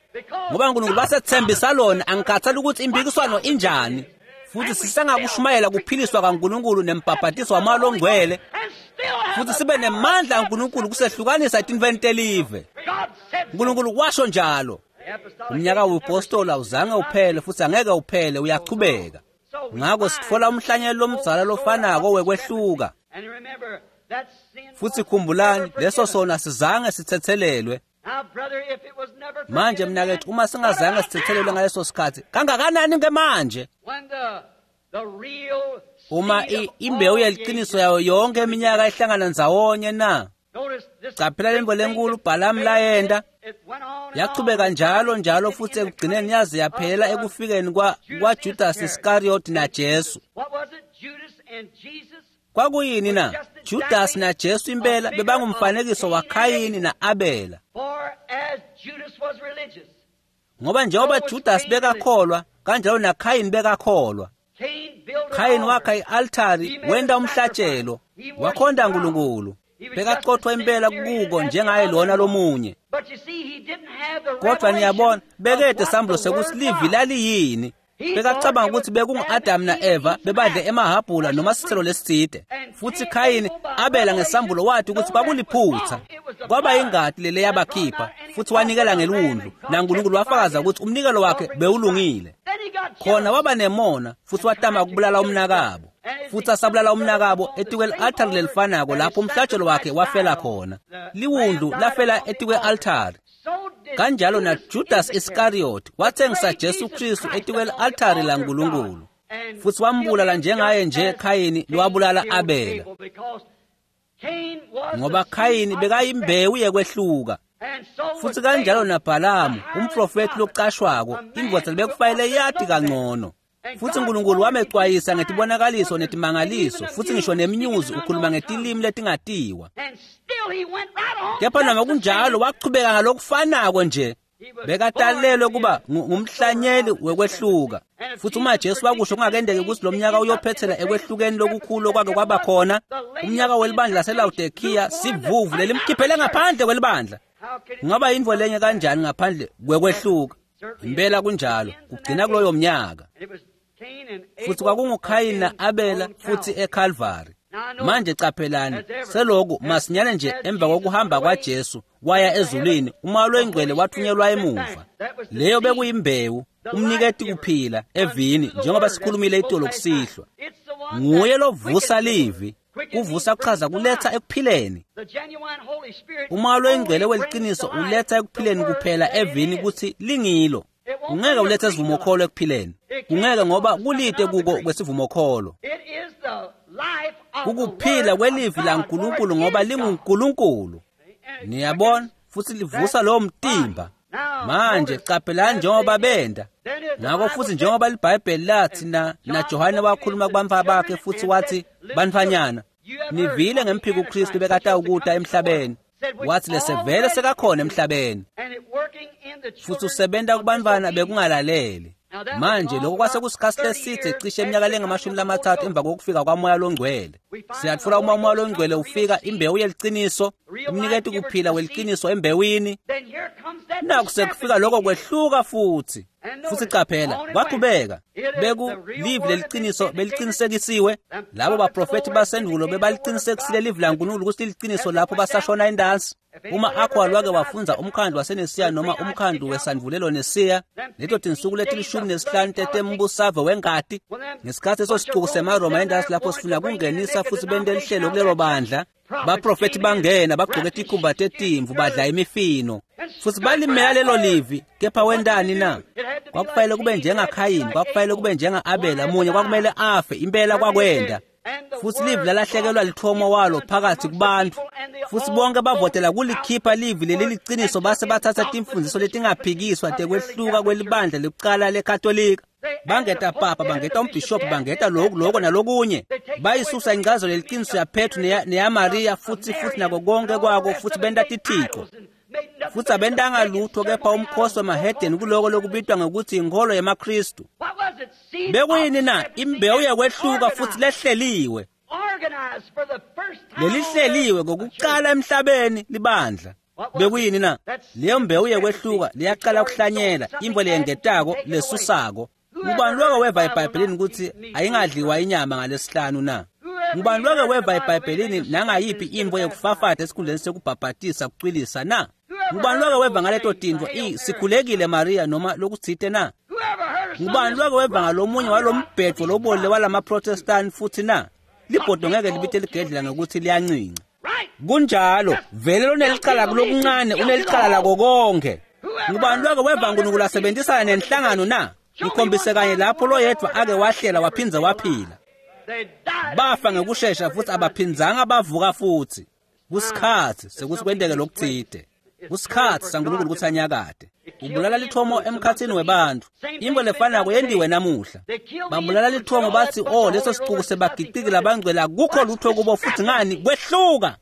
Ngoba uNkulunkulu basethembisa lona, angikhathali ukuthi impikiswano injani. Futhi sisengakushumayela kuphiliswa kaNkulunkulu nembhabhatiso wamoya ongcwele, futhi sibe nemandla kaNkulunkulu kusehlukanisa etintfweni telive. uNkulunkulu washo njalo. Umnyaka webupostoli awuzange uphele futhi angeke uphele, uyachubeka. Ngakho sitfola umhlanyelo lomdzala lofanako wekwehluka. Futhi khumbulani, leso sona sizange sithethelelwe. Manje mnakethu, uma singazange sithethelelwe ngaleso sikhathi, kangakanani ke manje? Uma imbewu yeliqiniso yayo yonke iminyaka ihlangana ndzawonye na? Caphela lemvo lenkulu Bhalamu layenta, yachubeka njalo njalo futhi ekugcineni yaze yaphela ekufikeni kwaJudas Iscariot naJesu. Kwakuyini na? Judas naJesu impela bebangumfanekiso waKhayini na-Abela. Ngoba njengoba Judas bekakholwa, kanjalo naKhayini bekakholwa. Khayini wakha i-altari, wenta umhlatshelo, wakhonta uNkulunkulu. Bekaqothwa impela kuko njengaye lona lomunye. Kodwa niyabona, bekede sambulo sekuthi livi laliyini. Bekacabanga ukuthi bekungu-Adamu na-Eva bebadle emahabhula noma sithelo lesitsite. Futhi Khayini abela ngesambulo wathi ukuthi kwakuliphutha. Kwaba ingati lele yabakhipha, futhi wanikela ngeliwundlu, naNkulunkulu wafakaza ukuthi umnikelo wakhe bewulungile. Khona waba nemona futhi watama ukubulala umnakabo. Futhi asabulala umnakabo etikwe-altari lelifanako lapho umhlatshelo wakhe wafela khona. Liwundlu lafela etikwe-altari. Kanjalo naJudas Iscariot wathengisa Jesu Kristu etikwe-altari laNkulunkulu. Futhi wambulala njengaye nje Khayini lowabulala Abela. Ngoba Khayini bekayimbewu yekwehluka. Futhi kanjalo naBhalamu, umprofethi locashwako, indvodza lebekufanele yati kangcono. Futhi uNkulunkulu wamecwayisa ngetibonakaliso netimangaliso, futhi ngisho nemnyuzi ukhuluma ngetilimi letingatiwa. Kepha noma kunjalo wachubeka ngalokufanako nje. Bekatalelwe kuba ngumhlanyeli wekwehluka. Futhi uma Jesu wakusho kungakendeki ukuthi lo mnyaka uyophethela ekwehlukeni lokukhulu okwake kwaba khona, umnyaka welibandla laseLawodikhiya sivuvu lelimkhiphele ngaphandle kwelibandla. Kungaba yintfo lenye kanjani ngaphandle kwekwehluka? Impela kunjalo, kugcina kuloyo mnyaka. Futhi kwakunguKhayini na-Abela futhi eKalvari. Manje caphelani, seloku masinyane nje emva kokuhamba kwaJesu waya ezulwini, uMoya loyiNgcwele wathunyelwa emuva. Leyo bekuyimbewu, umniketi kuphila evini, njengoba sikhulumile itolo kusihlwa. Nguye lovusa livi. Kuvusa kuchaza kuletha ekuphileni. Umoya loyiNgcwele weliciniso uletha ekuphileni kuphela evini kutsi lingilo. Ungeke ulethe isivumokholo ekuphileni. Kungeke ngoba kulite kuko kwesivumokholo. Kukuphila kwelivi laNkulunkulu ngoba linguNkulunkulu. Niyabona, futhi livusa lowo mtimba. Manje caphelani njengoba benda. Ngakho futhi njengoba liBhayibheli lathi na Johane wakhuluma kubantfwana bakhe futhi wathi, bantfwanyana, nivile ngemphiko uKristu bekatawukuta emhlabeni. Wathi lesevele sekakhona emhlabeni. Futhi usebenta kubantfwana bekungalaleli. Manje lokho kwase kusikhathi leside cishe iminyaka lengamashumi lamathathu emva kokufika kwaMoya loNgcwele. Siyatfola uma uMoya loNgcwele ufika, imbewu yeliciniso, umniketi kuphila weliciniso embewini. Naku sekufika lokho kwehluka futhi. Futhi caphela, kwaqhubeka. Beku livi leliciniso belicinisekisiwe. Labo baprofethi basendulo bebaliqinisekisile livi laNkulunkulu ukuthi liliciniso lapho basashona indansi. Uma akho wake wafundza umkhandlu waseNesiya noma umkhandlu wesandvulelo Nesiya, leto tinsuku leti-15 tetembusave wengati, ngesikhathi leso sicuku semaRoma endasi lapho sifuna kungenisa futhi bente lihlelo kulelo bandla, baprofethi bangena bagqoke tikhumba tetimvu badla imifino futhi balimela lelo livi. Kepha wentani na? Kwakufanele kube njengaKhayini, kwakufanele kube njenga-Abela, munye kwakumele afe impela kwakwenda. Futhi livi lalahlekelwa lithomo walo phakathi kubantu, futhi bonke bavotela kulikhipha livi leli liciniso, base bathatha timfundiso letingaphikiswa tekwehluka kwelibandla lekucala leKatolika. Bangeta papa, bangeta umbhishobhi, bangeta lokhu lokho nalokunye. Bayisusa incazelo leliciniso yaPetru neyaMaria futhi nako konke kwako, futhi benta tithixo. Futhi abentanga lutho kepha umkhosi wemahedeni kuloko lokubitwa ngokuthi inkholo yemaKristu. Bekuyini na? Imbewu yekwehluka futhi lehleliwe. Lelihleliwe kokuqala emhlabeni libandla. Bekuyini na? Leyo mbewu yekwehluka liyaqala ukuhlanyela imvo leyengetako lesusako. Ngubani loke weva eBhayibhelini ukuthi ayingadliwa inyama ngalesihlanu na? Ngubani loke weva eBhayibhelini nangayiphi imvo yekufafata esikhundleni sekubhabhatisa kucwilisa na? Ngubani loke weva ngaleto tintfo sikhulekile Maria noma lokutsite na? Ngubani loke weva ngalomunye walombhedvo lobolile walamaProtestant futhi na? Libhodo ngeke libite ligedlela ngokuthi liyancinca. Kunjalo, vele lonelicala kulokuncane unelicala lako konke. Ngubani loke weva uNkulunkulu asebenzisana nenhlangano na? Ngikhombise kanye lapho loyedwa ake wahlela waphindze waphila. Bafa ngekushesha futhi abaphindzanga bavuka futhi. Kusikhathi sekuthi kwenteke lokutsite. Kusikhathi saNkulunkulu ukuthi anyakade. Ubulala lithomo emkhathini webantfu. Into lefanako yendiwe namuhla. Babulala lithomo bathi, oh, leso sicuku sebagiciki labangcwele akukho lutho kubo futhi ngani kwehluka.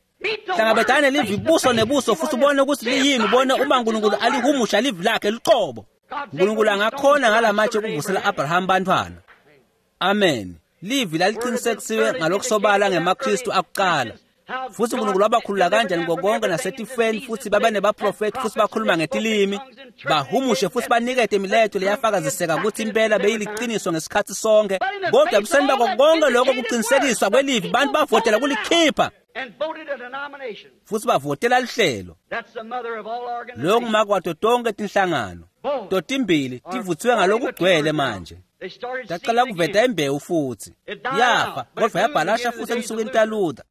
Hlangabetane livi buso nebuso futhi ubone ukuthi liyini, ubone uma uNkulunkulu alihumusha livi lakhe luqobo. uNkulunkulu angakhona ngalamatshe ukuvusela Abraham bantfwana. Amen. Livi laliqinisekisiwe ngalokusobala ngemaKristu akuqala. Futhi uNkulunkulu wabakhulula kanjani ngokonke nasetifeni, futhi baba nebaprofethi futhi bakhuluma ngetilimi, bahumushe futhi banikete imilayeto leyafakaziseka ukuthi impela beyiliqiniso ngesikhathi sonke. Kodwa ebuseni bako konke lokho kuqinisekiswa kwelivi, bantu bavotela kulikhipha futhi bavotela lihlelo. Loyo ngumakwato tonke tinhlangano totimbili tivutsiwe ngalokugcwele manje. Taqala kuveta imbewu futhi yafa, kodwa yabhalasha futhi ensukwini taLuther,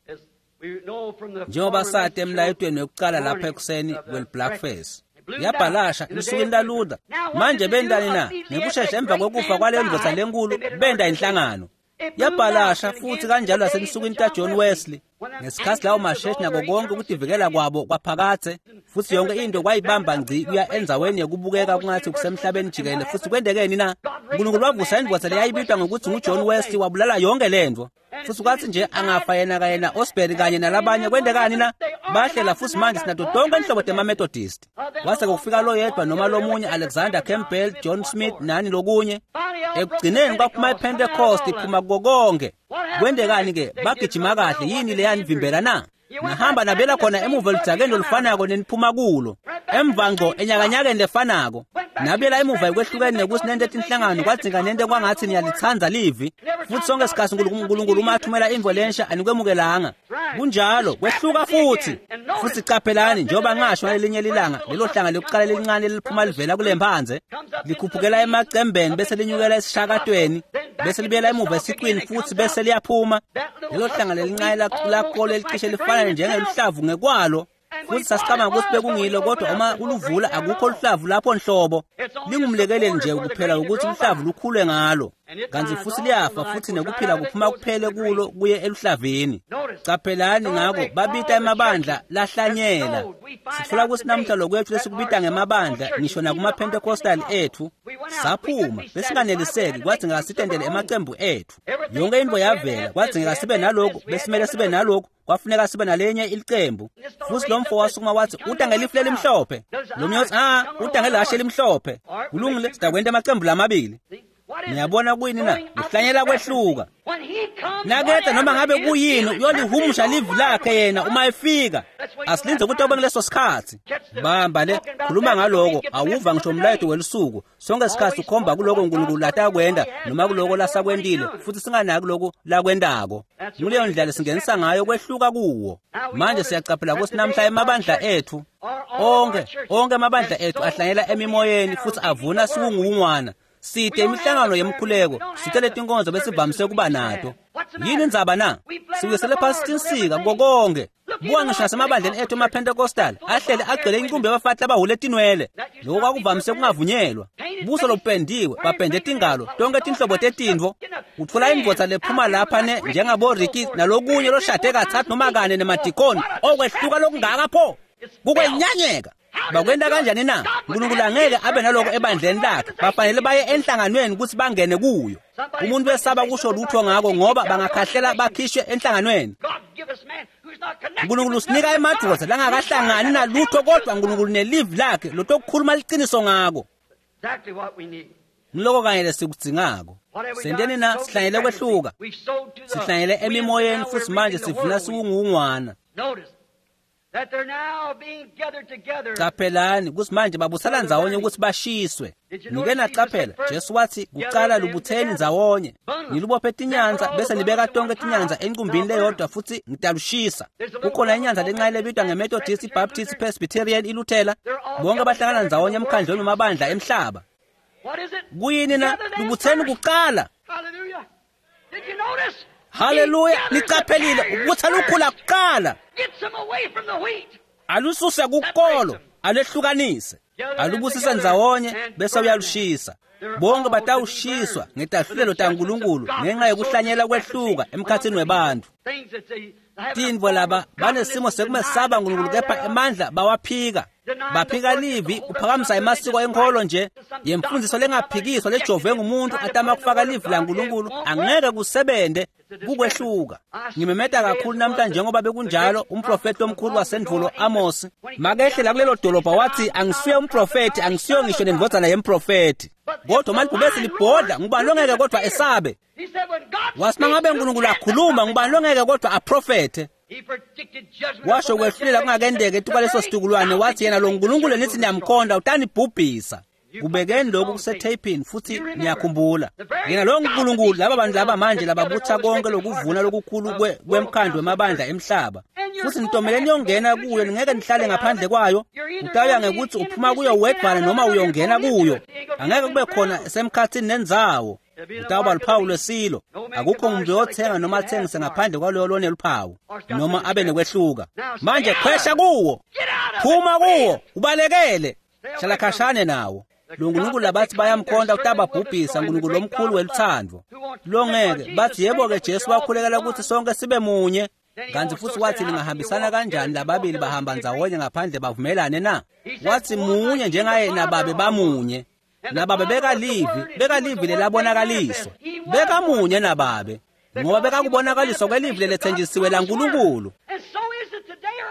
njengoba sati emlayetweni wekucala lapha ekuseni kwel-breakfast. Yabhalasha ensukwini taLuther. Manje bentani na? Ngekushesha emva kokufa kwaleyo ndvodza lenkulu benta inhlangano. Yabhalasha futhi kanjalo nasensukwini taJohn Wesley, ngesikhathi lawo masheshi nako konke ukutivikela kwabo kwaphakathe futhi yonke into kwayibamba ngci kuya endzaweni yekubukeka kungathi kusemhlabeni jikelele. Futhi kwentekeni na? uNkulunkulu wavusa indvodza leyayibitwa ngokuthi nguJohn Wesley, wabulala yonke lento. Futhi kwathi nje angafa yena kanye na-Osbury kanye nalabanye, kwentekani na? Bahlela futhi manje sinato tonke inhlobo temaMethodist. Kwase kufika loyedwa noma lomunye, Alexander Campbell, John Smith, nani lokunye. Ekugcineni kwaphuma iPentecost iphuma kuko konke. Kwendekani-ke? Bagijima kahle. Yini leyanivimbela na? Nahamba nabela khona emuva eludzakeni lolufanako neniphuma kulo, emva ngco enyakanyakeni lefanako. Nabela emuva ekwehlukeni nekuthi nente tinhlangano, kwadzinga nente kwangathi niyalitsandza livi. Futhi sonke sikhathi uNkulunkulu uma athumela imvo lensha anikwemukelanga. Kunjalo, kwehluka futhi. Futhi caphelani, njengoba ngasho ngalelinye lilanga, lelo hlanga lokuqala lelincane leliphuma livela kule mphandze, likhuphukela emacembeni bese linyukela esishakatweni, bese libuyela emuva esicwini futhi bese liyaphuma. Lelo hlanga lelincane lakolo elicishe lifana njengeluhlavu ngekwalo. Futhi sasicabanga ukuthi bekungilo, kodwa uma uluvula akukho luhlavu lapho nhlobo. Lingumlekeleli nje kuphela ukuthi luhlavu lukhule ngalo. Kanti futhi liyafa futhi nekuphila kuphuma kuphele kulo kuye eluhlavini. Caphelani ngako babita emabandla lahlanyela. Sitfola ukuthi namuhla lokwethu lesikubita ngemabandla ngisho nakuma-Pentecostal ethu saphuma besinganeliseki, kwadzingeka sitendele emacembu ethu. Yonke into yavela, kwadzingeka sibe naloku, besimele sibe naloku, kwafuneka sibe nalenye ilicembu. Futhi lo mfo wasukuma wathi uta ngelifu lelimhlophe. Lo munye wathi uta ngelihashe elimhlophe. Kulungile, sidakwenta amacembu lamabili. Niyabona kuyini na? Kuhlanyela kwehluka. Naketha noma ngabe kuyini uyolihumusha livi lakhe yena uma efika. Asilinze ukuthi abe kuleso sikhathi. Bamba le, khuluma ngaloko, awuva ngisho umlayeto welusuku. Sonke isikhathi ukhomba kuloko uNkulunkulu latakwenda noma kuloko lasakwendile, futhi singanaki lokho lakwendako. Nguleyo ndlela singenisa ngayo kwehluka kuwo. Manje siyacaphela ukuthi namhla emabandla ethu onke amabandla ethu ahlanyela emimoyeni futhi avuna siwunguwungwana. Site imihlangano yemkhuleko, site letinkonzo besivamise kuba nato. Yini indzaba na? Siwisele phasi tinsika kokonke. Buka ngisho nasemabandleni ethu emaPentecostal ahlele agcwele inqumbi yabafati labahule tinwele. Lokho kwakuvamise kungavunyelwa. Buso lobupendiwe, bapende tingalo, tonke tinhlobo tetintfo. Utfola indvodza lephuma lapha ne njengabo Ricky nalokunye loshade kathathu noma kane nemadikoni. Okwehluka lokungaka pho. Kukwenyanyeka. Bakwenta kanjani na? uNkulunkulu angeke abe naloko ebandleni lakhe. Bafanele baye enhlanganweni ukuthi bangene kuyo. Umuntu wesaba kusho lutho ngako ngoba bangakhahlela bakhishwe enhlanganweni. uNkulunkulu usinika emadvodza langakahlangani nalutho, kodwa uNkulunkulu nelivi lakhe lotokukhuluma liciniso ngako. Ngiloko kanye lesikudzingako. Senteni na? Sihlanyele kwehluka. Sihlanyele emimoyeni futhi manje sivuna siwunguwungwana. Caphelani ukuthi manje babusala ndzawonye ukuthi bashiswe. Nike nacaphela, Jesu wathi kuqala lubutheni ndzawonye, nilubophe tinyanza bese nibeka tonke tinyanza enqumbini leyodwa futhi ngitalushisa. Kukhona inyanza lencane lebitwa ngeMethodist, iBaptist, iPresbyterian, iLuthela. Bonke bahlangana ndzawonye emkhandlweni wamabandla emhlaba. Kuyini na? Lubutheni kuqala. Haleluya, nicaphelile ubutha lukhula kuqala. Alususe kukolo, alehlukanise, alubusise ndzawonye bese uyalushisa. Bonke batawushiswa ngetahlulelo taNkulunkulu ngenxa yokuhlanyela kwehluka emkhathini webantfu. Tintfo laba banesimo sekumesaba uNkulunkulu, kepha emandla bawaphika. Baphika livi kuphakamisa emasiko enkholo nje yemfundiso lengaphikiswa lejovwe ngumuntu atama kufaka livi laNkulunkulu, angeke kusebente. Kukwehluka. Ngimemeta kakhulu namhlanje njengoba bekunjalo umprofeti omkhulu wasendvulo Amos makehle la kulelo dolobha wathi angisuye umprofeti, angisiyo ngisho nendvodzana yemprofeti, kodwa malibhubesi libhodla, ngubani longeke kodwa esabe? Wathi mangabe uNkulunkulu akhuluma, ngubani longeke kodwa aprofethe? Washo kwehlulela kungakendeke etukwaleso situkulwane, wathi yena lo Nkulunkulu nithi niyamkhonda utanibhubhisa. Kubekeni lokhu kusetheyphini futhi niyakhumbula. Yena lo Nkulunkulu laba bantu laba manje lababutha konke lokuvuna lokukhulu kwemkhandlu wemabandla emhlaba. Futhi nitomele niyongena kuyo, ningeke nihlale ngaphandle kwayo. Utawuya ngekuthi uphuma kuyo wedvwana noma uyongena kuyo. Angeke kube khona semkhathini nendzawo. Utawuba luphawu lwesilo. Akukho umuntu oyothenga noma athengise ngaphandle kwaloyo loneluphawu noma abe nekwehluka. Manje khwesha kuwo, phuma kuwo, ubalekele, hlala khashane nawo. Lo Nkulunkulu labathi bayamkhonta utababhubhisa, Nkulunkulu lomkhulu weluthando longeke. Bathi yebo-ke Jesu wakhulekela ukuthi sonke sibe munye, kanti futhi wathi ningahambisana kanjani lababili bahamba ndzawonye ngaphandle bavumelane na? Wathi munye njengaye nababe bamunye. Nababe bekalivi, bekalivi lelabonakaliswa. Bekamunye nababe, ngoba bekakubonakaliswa kwelivi lelethenjisiwe laNkulunkulu.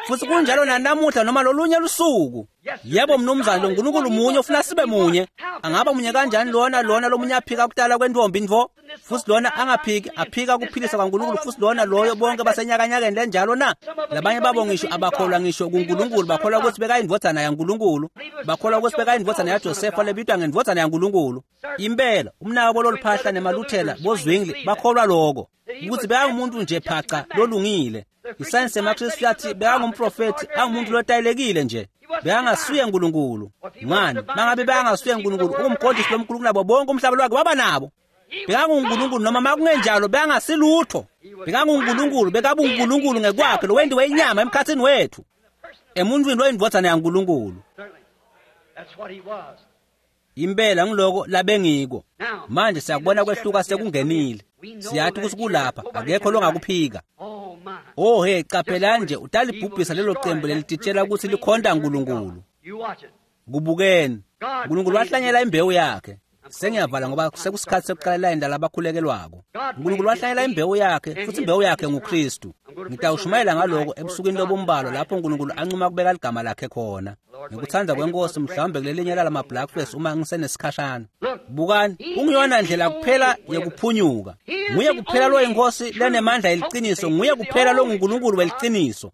Futsi kunjalo nanamuhla noma lolunye lusuku. Yebo mnumzane, lo Nkulunkulu munye ufuna sibe munye. Angaba munye kanjani lona lomunye aphika kutala kwentombi ntfo, futsi lona angaphiki aphika kuphilisa kwaNkulunkulu, futsi lona loyo bonke basenyakanyakeni lenjalo na? Labanye babo ngisho abakholwa ngisho kuNkulunkulu, bakholwa kutsi bekayindvodzana yaNkulunkulu, bakholwa kutsi bekayindvodzana yaJosefa lebitwa ngendvodzana yaNkulunkulu. Impela umnakabo loluphahla nemaluthela boZwingli bakholwa loko, ukuthi bekangumuntu nje phaca lolungile. Isayensi yemaKristu yathi bekangumprofethi, angumuntu lotayelekile nje, bekangasuye Nkulunkulu. Ngani? Mangabe bekangasuye Nkulunkulu, ungumqondisi lomkhulu kunabo bonke umhlaba lwakhe waba nabo. BekanguNkulunkulu noma makungenjalo bekangasilutho. BekanguNkulunkulu, bekabuNkulunkulu ngekwakhe lowentiwe inyama emkhatsini wethu, emuntwini loyindvodzana yaNkulunkulu. Impela ngiloko labengiko. Manje siyakubona kwehluka sekungenile. Siyathi ukuthi kulapha, akekho longakuphika. Oh he, caphelani nje, utalibhubhisa lelo cembu lelititshela ukuthi likhonta Nkulunkulu. Kubukeni, Nkulunkulu wahlanyela imbewu yakhe. Sengiyavala ngoba sekusikhathi sekuqala layini labakhulekelwako. Nkulunkulu wahlanyela imbewu yakhe, futhi imbewu yakhe nguKristu. Ngitawushumayela ngaloko ebusukwini lobumbalwa lapho uNkulunkulu ancuma kubeka ligama lakhe khona. Ngikuthanda kwenkosi mhlawumbe kulelinye lalama Blackface uma ngisenesikhashana. Bukani, ungiyona ndlela kuphela yekuphunyuka. Nguye kuphela lo inkosi lenemandla yeliciniso, nguye kuphela lo nguNkulunkulu weliciniso.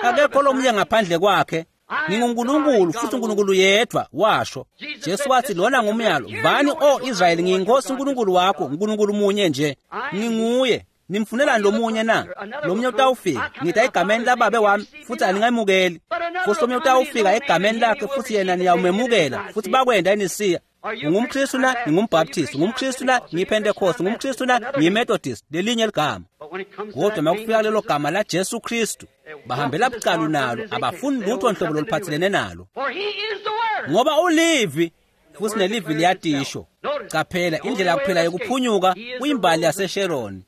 Akekho lomunye ngaphandle kwakhe. NginguNkulunkulu futhi uNkulunkulu yedwa, washo. Jesu wathi lona ngumyalo, vani o Israyeli, ngiyinkosi uNkulunkulu wakho, uNkulunkulu munye nje. Nginguye. Nimfunelani lomunye na? Lomunye utawufika, ngita egameni lababe wami futhi aningamukeli. Futhi lomunye utawufika egameni lakhe futhi yena niyawumemukela, futhi bakwenda eNisiya. UngumKristu na? NgingumBaptist. UngumKristu na? NgiyiPentecost. UngumKristu na? NgiyiMethodist. Lelinye ligama. Kodwa makufika lelo gama la Jesu Kristu, bahambela bucalu nalo, abafuni lutho nhlobo loluphathelene nalo. Ngoba ulivi, futhi nelivi liyatisho. Caphela, indlela kuphela yokuphunyuka kuyimbali yaseSharon.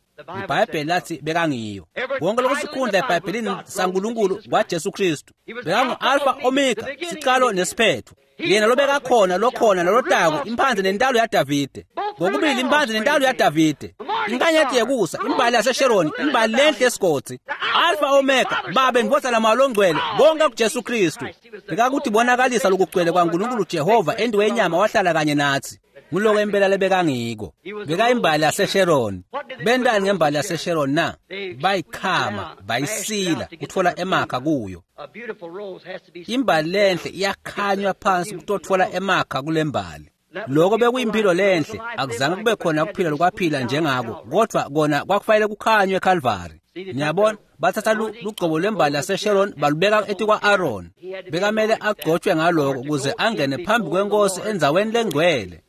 IBhayibheli lathi bekangiyo. Konke lokusikhundla eBhayibhelini saNkulunkulu kwaJesu Kristu. Bekangu-Alpha Omega, siqalo nesiphetho. Yena lobekakhona, lokhona, nalotako, imphanze nentalo yaDavide. Ngokubili imphanze nentalo yaDavide. Inkanyeti yekusa, imbali yaseSharon, imbali lenhle esigodzi. Alpha Omega, Babe ndvodzana Moya longcwele, konke kuJesu Kristu. Bekakuthi bonakalisa lokugcwele kwaNkulunkulu Jehova endiwe inyama wahlala kanye nathi. Nguloko impela lebekangiko. Bekayimbali yaseSharon. Bentani ngembali yaseSharon na? Bayikhama, bayisila, kutfola emakha kuyo. Imbali lenhle iyakhanywa phansi kutotfola emakha kulembali. Lokho bekuyimpilo lenhle, akuzange kube khona ukuphila lokwaphila njengako, kodwa kona kwakufanele kukhanywe eCalvary. Niyabona, bathatha lugcobo lwembali yaseSharon balubeka etikwa-Aaron. Bekamele agcotshwe ngaloko ukuze angene phambi kwenkosi endzaweni lengcwele.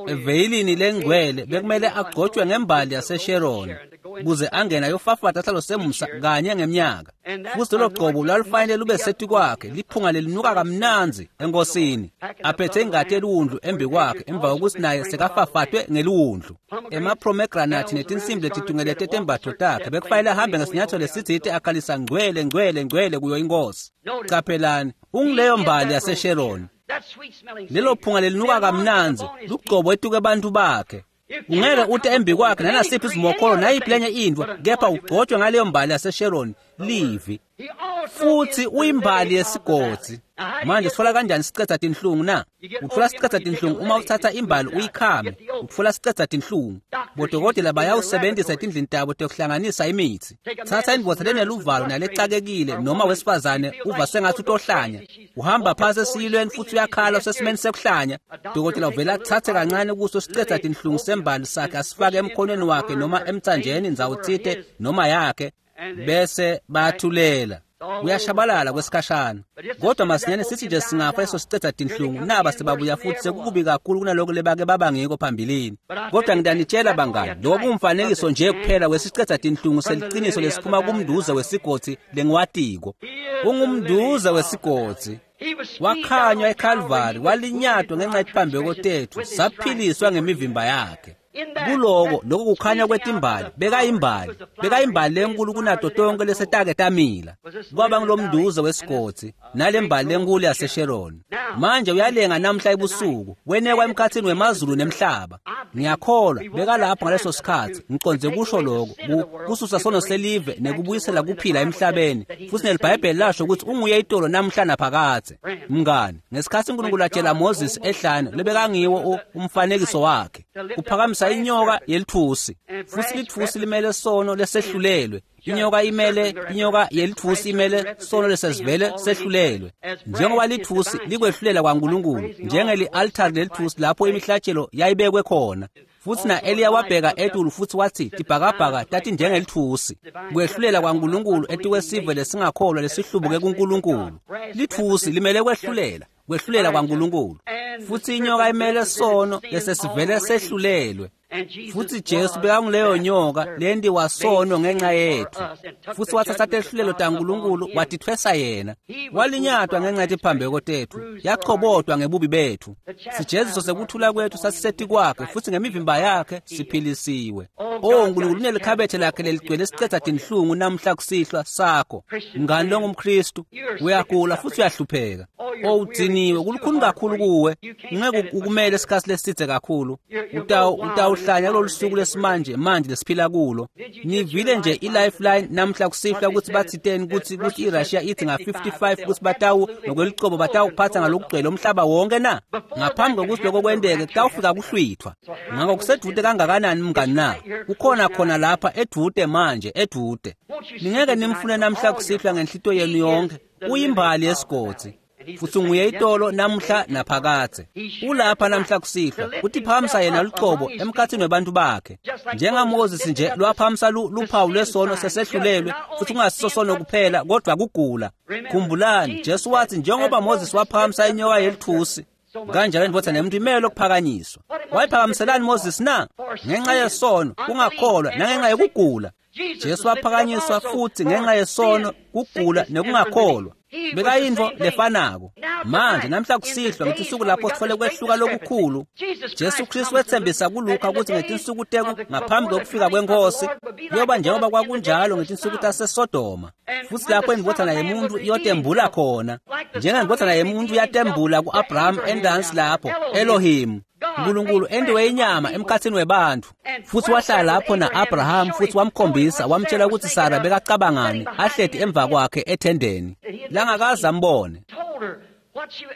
Eveyilini lengcwele bekumele agcotshwe ngembali yaseSharon ukuze angene ayofafata sihlalo semusa kanye ngemnyaka. Futhi lolo gcobo lwalufanele lube setikwakhe, liphunga lelinuka kamnandzi enkosini, aphethe ingati yeliwundlu embi kwakhe emva kokuthi naye sekafafatwe ngeliwundlu. Emapromegranati netinsimbi letitungelete tembatfo takhe bekufanele ahambe ngesinyathelo lesitsite akhalisa ngcwele ngcwele ngcwele kuyo inkosi. Caphelani, ungileyo mbali yaseSharon. Lelo phunga lelinuka kamnandzi lugcobo etuke abantu bakhe. Ungeke ute embi kwakhe nanasiphi isimokholo nayiphi lenye intfo, kepha ugcotshwe ngaleyo mbali yaseSharon, livi. Futhi uyimbali yesigodzi. Manje sitfola kanjani sicetha tinhlungu na? Utfola sicetha tinhlungu uma uthatha imbali uyikhame, utfola sicetha tinhlungu. Bodokotela bayawusebenzisa etindlini tabo tekuhlanganisa imithi. Thatha indvodza leneluvalo nalecakekile noma wesifazane uva sengathi utohlanya. Uhamba phasi esiyilweni futhi uyakhala usesimeni sekuhlanya. Dokotela uvela athathe kancane kuso sicetha tinhlungu sembali sakhe asifake emkhonweni wakhe noma emtsanjeni ndzawo tsite noma yakhe, bese bayathulela. Kuyashabalala kwesikhashana. Kodwa masinyane sithi nje singafa leso sicetha tinhlungu, naba sebabuya futhi sekukubi kakhulu kunaloko lebake baba ngiko phambilini. Kodwa ngitanitshela bangani, lokho kungumfanekiso nje kuphela wesicetha tinhlungu seliciniso lesiphuma kumnduze wesigodzi lengiwatiko. Ungumnduze wesigodzi. Wakhanywa eCalvary, walinyatwa ngenxa yetiphambeko tethu, saphiliswa ngemivimba yakhe. Kuloko lokho kukhanya kwetimbali, bekayimbali, bekayimbali lenkulu kunato tonke lesetake tamila. Kwaba ngulomnduze wesigodzi nalembali lenkulu yaseSharon. Manje uyalenga namhla ebusuku, wenekwa emkhatsini wemazulu nemhlaba. Ngiyakholwa bekalapho ngaleso sikhatsi, ngicondze kusho lokho, kususa sono selive nekubuyisela kuphila emhlabeni. Futsi neliBhayibheli lasho ukuthi unguye itolo namhla naphakadze. Mngani, ngesikhatsi uNkulunkulu atshela Moses ehlane lebekangiwo umfanekiso wakhe, kuphakamisa inyoka yelithusi, futsi lithusi limele sono lesehlulelwe. Inyoka imele, inyoka yelithusi imele sono lesesivele sehlulelwe. Njengoba lithusi likwehlulela kwaNkulunkulu, njengeli-altari lelithusi lapho imihlatshelo yayibekwe khona. Futsi na-Eliya wabheka etulu futsi watsi tibhakabhaka tati njengelithusi. Kwehlulela kwaNkulunkulu etikwesive lesingakholwa lesihlubuke kuNkulunkulu. Lithusi limele kwehlulela, kwehlulela kwaNkulunkulu. Futsi inyoka imele sono lesesivele sehlulelwe. Futsi Jesu bekanguleyo nyoka lentiwa sono ngenxa yetfu. Futsi watsatsa tehlulelo taNkulunkulu watitfwesa yena. Walinyatwa ngenxa yetiphambeko tetfu, yachobotwa ngebubi betfu. Sijeziso sekuthula kwetfu sasisetikwakhe, futsi ngemivimba yakhe siphilisiwe. Oh, uNkulunkulu unelikhabethe lakhe leligcwele sicetha tinhlungu namhla kusihlwa sakho. Mngani longumKhristu, uyagula futsi uyahlupheka. Oh, udziniwe, kulukhuni kakhulu kuwe. Ngeke ukumele isikhatsi lesidze kakhulu. Utawuhlanya kulolu suku lesimanje manje lesiphila kulo. Nivile nje i-Lifeline namhla kusihlwa ukuthi bathiteni ukuthi iRussia ithi nga-55 ukuthi batawu ngokwelicebo batawuphatha ngalokugcwele umhlaba wonke na. Ngaphambi kokuthi lokho kwenteke kutawufika kuhlwithwa. Ngakho kusedude kangakanani mngani na? Kukhona khona lapha edude manje, edude. Ningeke nimfune namhla kusihlwa ngenhlito yenu yonke. Uyimbali yesigodzi. Futsi nguye itolo namhla naphakadze. Ulapha namhla kusihlwa, kutiphakamisa yena lucobo emkhatsini webantu bakhe. NjengaMoses nje lwaphakamisa luphawu lwesono sesehlulelwe, futsi kungasiso sono kuphela kodwa kugula. Khumbulani, Jesu wathi njengoba Moses waphakamisa inyoka yelithusi, kanjalo indvodza nemuntu imele lokuphakanyiswa. Wayiphakamiselani Moses na? Ngenxa yesono, kungakholwa nangenxa yokugula. Jesu waphakanyiswa futsi ngenxa yesono, kugula nekungakholwa. Bekayintfo lefanako. Manje namhla kusihlwa ngetinsuku lapho sitfole kwehluka lokukhulu, Jesu Kristu wetsembisa kuLukha ukuthi ngetinsuku teku ngaphambi kokufika kweNkhosi kuyoba njengoba kwakunjalo ngetinsuku taseSodoma. Futsi lapho indvodzana yemuntu iyotembula khona, njengendvodzana yemuntu yatembula ku-Abraham endansi lapho, Elohim, uNkulunkulu entiwe inyama emkhatsini webantfu. Futsi wahlala lapho na-Abraham futsi wamkhombisa, wamtshela ukuthi Sara bekacabangani ahleti emva kwakhe ethendeni langakaze ambone.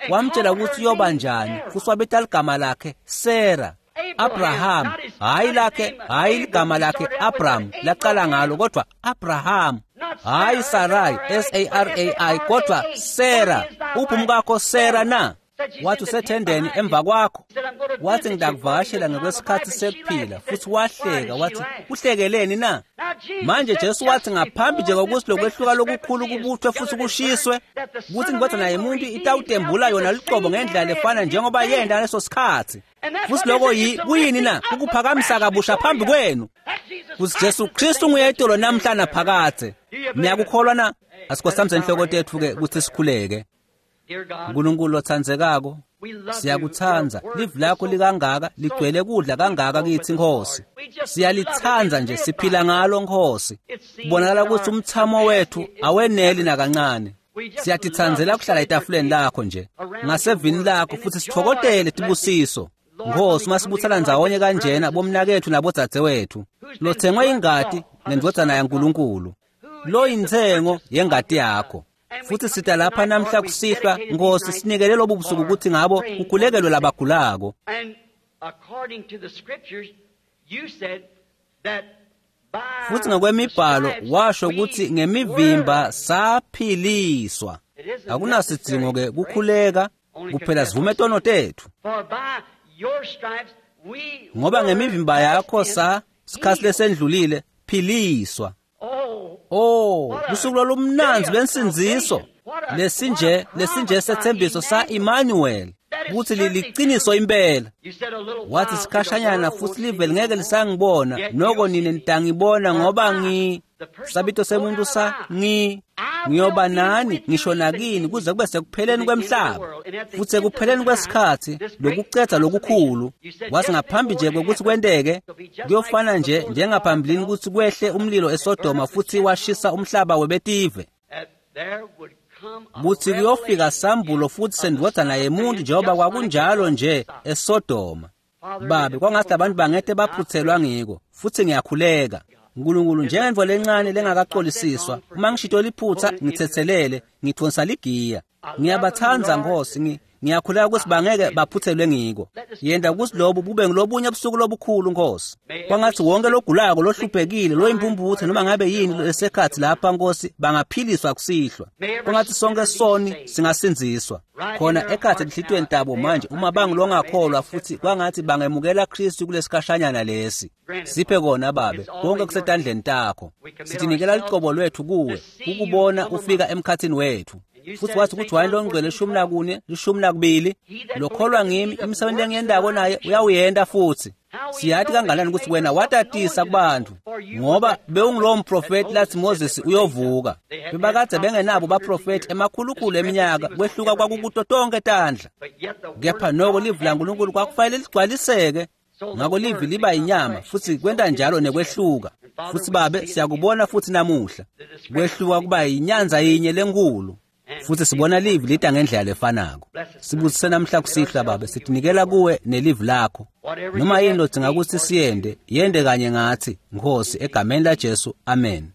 Wamtshela ukuthi uyoba njani, futsi wabita ligama lakhe Sara. Abraham, hayi lakhe, hayi ligama lakhe Abraham laqala ngalo, kodwa Abraham, hayi Sarai, S-A-R-A-I, kodwa Sara. Uphi umkakho Sara na? Wathi usethendeni emva kwakho. Wathi ngidakuvakashela ngekwesikhatsi sekuphila. Futsi wahleka, wathi uhlekeleni na? Manje Jesu wathi ngaphambi nje kokuthi lokwehluka lokukhulu kubuthwe futsi kushiswe, kuthi indvodzana yemuntu itawutembula yona lucobo ngendlela lefana njengoba yenta ngaleso sikhatsi. Futsi lokho kuyini na? Kukuphakamisa kabusha phambi kwenu. Kutsi Jesu Kristu nguye itolo namhla naphakadze. Niyakukholwa na? Asikhosamise inhloko tetfu ke kutsi sikhuleke. Nkulunkulu lotsandzekako, siyakutsandza. Livi lakho likangaka, ligcwele kudla kangaka kitsi Nkhosi. Siyalitsandza nje, siphila ngalo Nkhosi. Kubonakala kutsi umthamo wethu aweneli nakancane. Siyatitsandzela kuhlala etafuleni lakho nje, ngasevini lakho, futsi sitfokotele tibusiso. Nkhosi, uma sibutsana ndzawonye kanjena bomnaketfu nabodzadzewetfu, lotsengwe ingati ngendvodzana yaNkulunkulu, loyintsengo yengati yakho. Futsi sita lapha namhla kusihlwa, Nkhosi, sinikele lobu busuku kutsi ngabo kukhulekelwe labagulako. Futsi ngokwemibhalo washo kutsi ngemivimba saphiliswa. Akunasidzingo ke kukhuleka, kuphela sivume tono tetfu. Ngoba ngemivimba yakho sikhatsi lesendlulile philiswa. Oh, lusuku lolumnandzi lwensindziso. Lesinje setsembiso sa-Emmanuel, kutsi liliciniso impela. Wathi sikhashanyana futsi live lingeke lisangibona, noko nine nitangibona ngoba sabito semuntu sa ngi. Ngiyoba nani ngisho nakini kuze kube sekupheleni kwemhlaba. Futhi ekupheleni kwesikhathi lokucedza lokukhulu, wathi ngaphambi nje kokuthi kwenteke, kuyofana nje njengaphambilini ukuthi kwehle umlilo eSodoma futhi washisa umhlaba webetive. Kuthi kuyofika sambulo futhi sendvodzana yemuntu njengoba kwakunjalo nje eSodoma. Babe, kwangathi abantu bangete baphuthelwa ngiko, futhi ngiyakhuleka. Nkulunkulu, njengendvo lencane lengakacolisiswa, uma ngishito liphutha ngithethelele, ngithonsa ligiya. Ngiyabathanda Nkosi, ngiyakhuleka ukuthi bangeke baphuthelwe ngiko. Yenda ukuthi lobu bube ngilobunye ubusuku lobukhulu Nkosi. Kwangathi wonke logulako, lohluphekile, loyimpumputhe noma ngabe yini lesekhathi lapha Nkosi, bangaphiliswa kusihlwa. Kwangathi sonke soni singasindziswa. Khona ekhathi enhlitiyweni tabo manje uma bangilongakholwa futhi kwangathi bangemukela Kristu kulesikhashanyana lesi. Siphe kona Babe, konke kusetandleni takho. Sitinikela licobo lwethu kuwe, ukubona ufika emkhathini wethu. Futhi wathi kuJohane longcwele 14, 12, lokholwa ngimi imisebenzi engiyendako naye uyawuyenda futhi. Siyathi kanganani ukuthi wena watatisa kubantu, ngoba bewungulowo mprofeti lathi Moses uyovuka. Bebakade bengenabo baprofeti emakhulukhulu eminyaka, kwehluka kwakukuto tonke tandla. Kepha noko livi laNkulunkulu kwakufanele ligcwaliseke. Ngako livi liba inyama futhi kwenta njalo nekwehluka. Futhi Babe, siyakubona futhi namuhla kwehluka kuba inyanza yinye lenkulu. Futhi sibona livi lita ngendlela lefanako. Sibusise namhla kusihlwa Babe, sitinikela kuwe nelivi lakho. Noma yini lodzinga ukuthi siyende, yende kanye ngathi, Nkosi, egameni la Jesu, amen.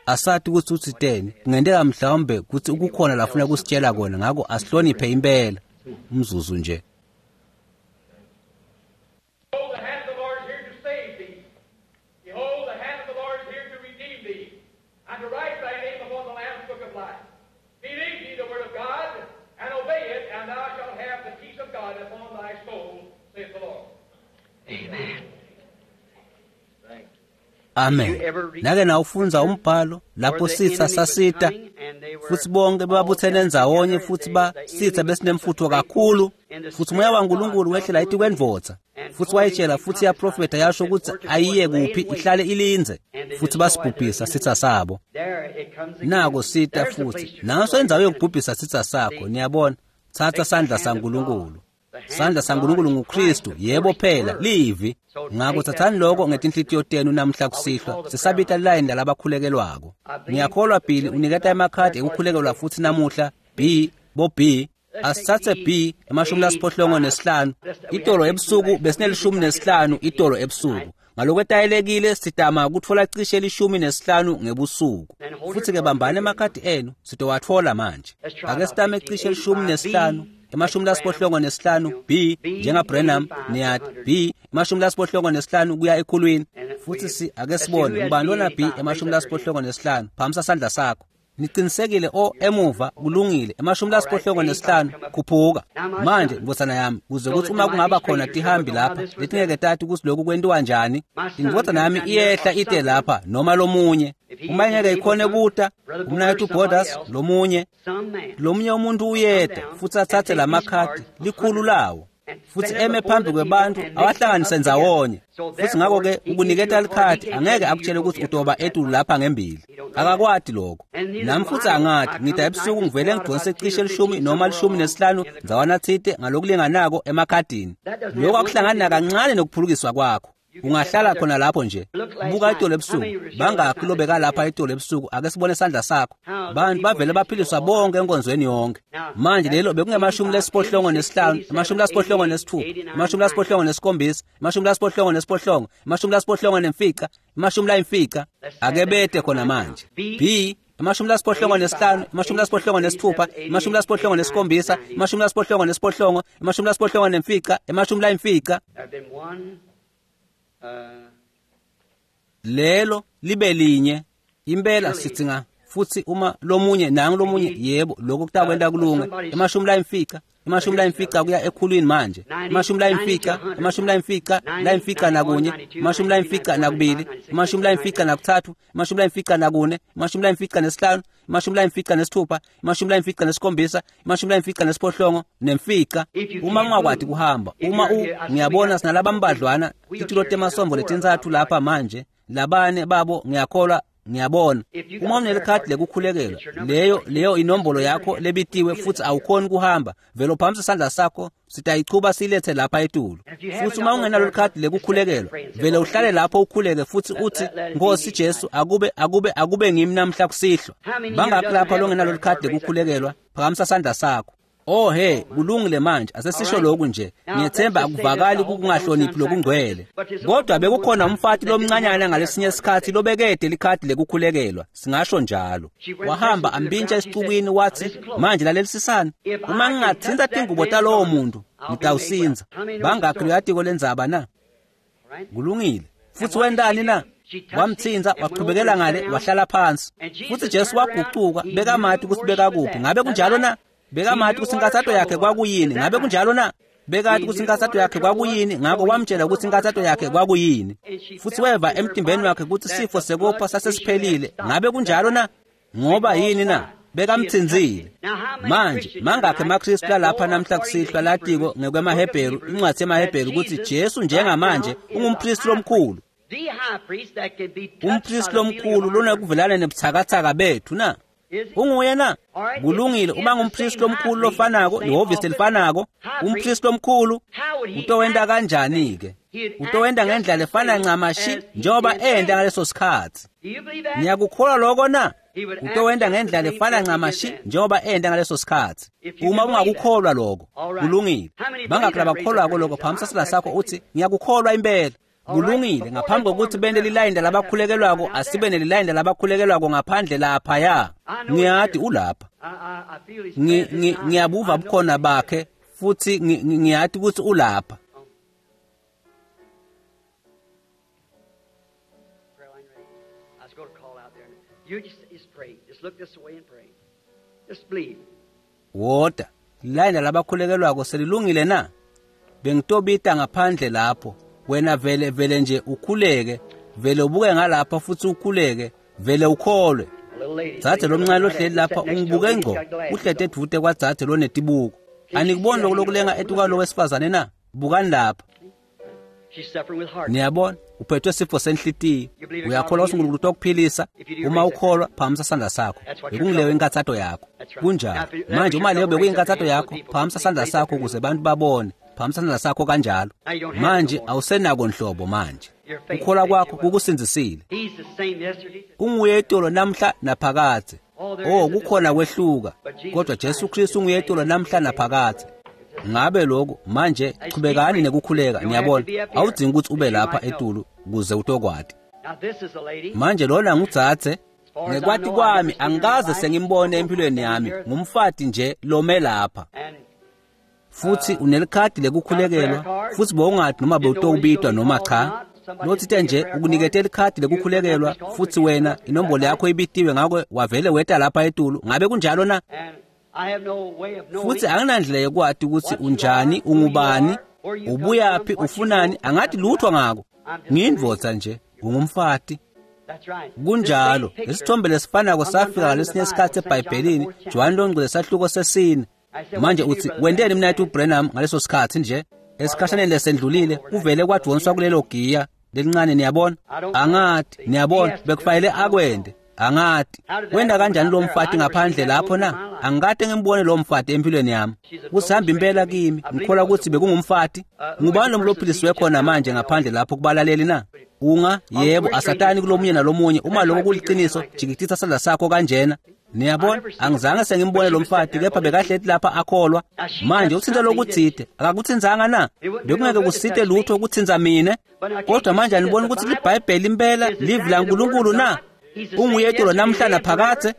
Asathi ukuthi uthiteni, kungenteka mhlawumbe ukuthi ukukhona lafuna kusitshela kona, ngako asihloniphe impela. Umzuzu nje. Amen. Nake nawufunza umbhalo lapho sitha sasita futhi bonke babuthene ndzawonye futhi basitha besinemfutho kakhulu, futhi moya waNkulunkulu wehlela etikwendvodza futhi wayitshela futhi yaprofetha yasho ukuthi ayiye kuphi, ihlale ilinze, futhi basibhubhisa sitha sabo. Nako sita futhi naso indzawo yokubhubhisa sitha sakho. Niyabona, thatha sandla saNkulunkulu. Sandla saNkulunkulu nguKristu, yebo phela, livi. Ngakho thathani lokho ngetinhlitiyo tenu namhla kusihlwa, sisabita line lalabakhulekelwako. Ngiyakholwa Billy uniketa emakhadi ekukhulekelwa futhi namuhla, B, bo B. Asithathe B 85. Itolo ebusuku besinelishumi nesihlanu itolo ebusuku. Ngalokwetayelekile sitama kutfola cishe 15 ngebusuku. Futhi ke bambani emakhadi enu, sitowatfola manje. Ake sitame cishe 15. 85 B njenga Branham, niyati B 85 kuya ekhulwini. Futhi si ake sibone ngubani lona B 85. Phamisa sandla sakho. Niqinisekile o emuva kulungile 85 khuphuka. Manje ndvodzana yami, kuze kuthi uma kungaba khona tihambi lapha letingeke tati ukuthi lokhu kwentiwa njani, indvodzana yami iyehla ite lapha noma lomunye. Uma ingeke ikhone kuta, umnaketfu Borders lomunye, lomunye umuntu uyeta futhi athathe lamakhadi likhulu lawo futhi eme phambi kwebantu awahlanganise ndzawonye. Futhi ngakho-ke ukuniketa likhadi angeke akutshele ukuthi utoba etulu lapha ngembili. Akakwati lokho. Nami futhi angati, ngida ebusuku ngivele ngidonse cishe 10 noma 15 ndzawana thite ngalokulinganako emakhadini. Lokho akuhlangani nakancane nokuphulukiswa kwakho. Ungahlala khona lapho nje. Buka itolo ebusuku. Bangakhi lobeka lapha itolo ebusuku, ake sibone isandla sakho. Bantu bavele baphiliswa bonke enkonzweni yonke. Manje lelo bekunge-85, 86, 87, 85, 85. Ake bete khona manje. B 85, 86, 87, 85, 85. Lelo libe linye impela sitsinga futhi uma lomunye nangu lomunye, yebo lokho kutakwenta kulunge. 50 50 kuya ekhulwini manje. 50 50 51 52 53 54 55 56 57 58. Uma ungakwati kuhamba, uma ngiyabona sinalabambadlwana titulo temasombo letintsatfu lapha manje. Labane babo ngiyakholwa ngiyabona. Uma unelikhadi lekukhulekelwa, leyo inombolo yakho lebitiwe futhi awukhoni kuhamba, vele uphakamisa isandla sakho, sitayichuba silethe lapha etulu. Futhi uma ungenalo likhadi lekukhulekelwa, vele uhlale lapho ukhuleke futhi uthi, Nkosi Jesu, akube ngimi namhla kusihlwa. Bangakhi lapha longenalo likhadi lekukhulekelwa? Phakamisa isandla sakho. Oh he, kulungile manje, asesisho lokhu nje. Ngiyethemba akuvakali kukungahloniphi lokungcwele. Kodwa bekukhona umfati lomncanyana ngalesinye isikhathi lobekede likhadi lekukhulekelwa, singasho njalo. Wahamba ambintsha esixukwini wathi, manje lalelisisani, uma ngingathinta tingubo talowo muntu, ngitawusinza. Bangakhi loyatiko lendzaba na? Kulungile. Futhi wentani na? Wamthinza, wachubekela ngale, wahlala phansi. Futhi Jesu wagucuka, bekamati ukuthi bekakuphi. Ngabe kunjalo na? Bekamati ukuthi inkathato yakhe kwakuyini. Ngabe kunjalo na? Bekati ukuthi inkathato yakhe kwakuyini, ngakho wamtshela ukuthi inkathato yakhe kwakuyini. Futhi weva emtimbeni wakhe ukuthi sifo sekopha sasesiphelile. Ngabe kunjalo na? Ngoba yini na? Bekamthinzile. Manje mangakhe emaKristu lalapha namhla kusihlwa latiko ngekwemaHebheru, incwadi yemaHebheru ukuthi Jesu njengamanje ungumpristi lomkhulu. Umpristi lomkhulu lonakuvelana nebuthakathaka bethu na? Unguye na? Kulungile, uma ngumpristi lomkhulu lofanako, lihhovisi elifanako, umpristi lomkhulu utowenta kanjani-ke? Utowenta ngendlela efana ncamashi njengoba enta ngaleso sikhathi. Niyakukholwa lokho na? Utowenta ngendlela efana ncamashi njengoba enta ngaleso sikhathi. Uma ungakukholwa lokho, kulungile. Bangakhi labakholwako lokho? Phakamisa isandla sakho uthi, ngiyakukholwa impela. Kulungile, ngaphambi kokuthi bente lilayini labakhulekelwako, asibe nelilayini labakhulekelwako ngaphandle laphaya. Ngiyati ulapha. Ngiyabuva bukhona bakhe futhi ngiyati ukuthi ulapha. Woda, lilayini labakhulekelwako selilungile na? Bengitobita ngaphandle lapho. Wena vele nje ukhuleke, vele ubuke ngalapha futhi ukhuleke, vele ukholwe. Dzadze lomncane lohleli lapha ungibuke ngco, uhlete edvute kwadzadze lonetibuko. Anikuboni lokhu lokulenga etukwalo wesifazane na? Bukani lapha. Niyabona, uphethwe sifo senhlitiyo. Uyakholwa ukuthi uNkulunkulu utokuphilisa? Uma ukholwa, phakamisa isandla sakho. Bekungileyo inkathato yakho. Kunjalo. Manje uma leyo bekuyinkathato yakho, phakamisa isandla sakho ukuze abantu babone. Phakamisa isandla sakho kanjalo. Manje awusenako nhlobo manje. Ukukholwa kwakho kukusindzisile. Unguye itolo namhla naphakadze. Oh, kukhona kwehluka, kodwa Jesu Kristu unguye itolo namhla naphakadze. Ngabe lokho manje chubekani nekukhuleka, niyabona. Awudzingi ukuthi ube lapha etulu kuze utokwati. Manje lona ngudzadze. Ngekwati kwami angikaze sengimbone empilweni yami, ngumfati nje lome lapha. Futhi unelikhadi lekukhulekelwa, futhi bowungathi noma bewutowubitwa noma cha. Lothite nje ukunikete likhadi lekukhulekelwa, futhi wena inombolo yakho ibitiwe, ngakho wavele weta lapha etulu. Ngabe kunjalo na? Futhi anginandlela yokwati ukuthi unjani, ungubani, ubuyaphi, ufunani, angathi lutho ngako. Ngiyindvodza nje, ungumfati. Kunjalo, lesithombe lesifanako safika ngalesinye isikhathi eBhayibhelini, Johane longcwele sahluko sesine. Manje uthi, wenteni mnayethu uBranham ngaleso sikhathi nje? Esikhashaneni lesendlulile, kuvele kwadonswa kulelo giya lelincane, niyabona? Angathi, niyabona, bekufanele akwende. Angathi, wenda kanjani lo mfati ngaphandle lapho na? Angikade ngimbone lo mfati empilweni yami. Kusihamba impela kimi, ngikholwa ukuthi bekungumfati. Ngubani lo mlophilisiwe khona manje ngaphandle lapho kubalaleli na? Unga, yebo, asatani kulomunye nalomunye. Uma lokho kuliqiniso, jikitisa isandla sakho kanjena. Niyabona, angizange sengimbone lo mfati, kepha bekahleti lapha akholwa. Manje uthinta lokuthide, akakuthinzanga na? Bekungeke kusite lutho ukuthinza mina. Kodwa manje aniboni ukuthi liBhayibheli impela livi laNkulunkulu na? Unguye itolo namhla naphakadze.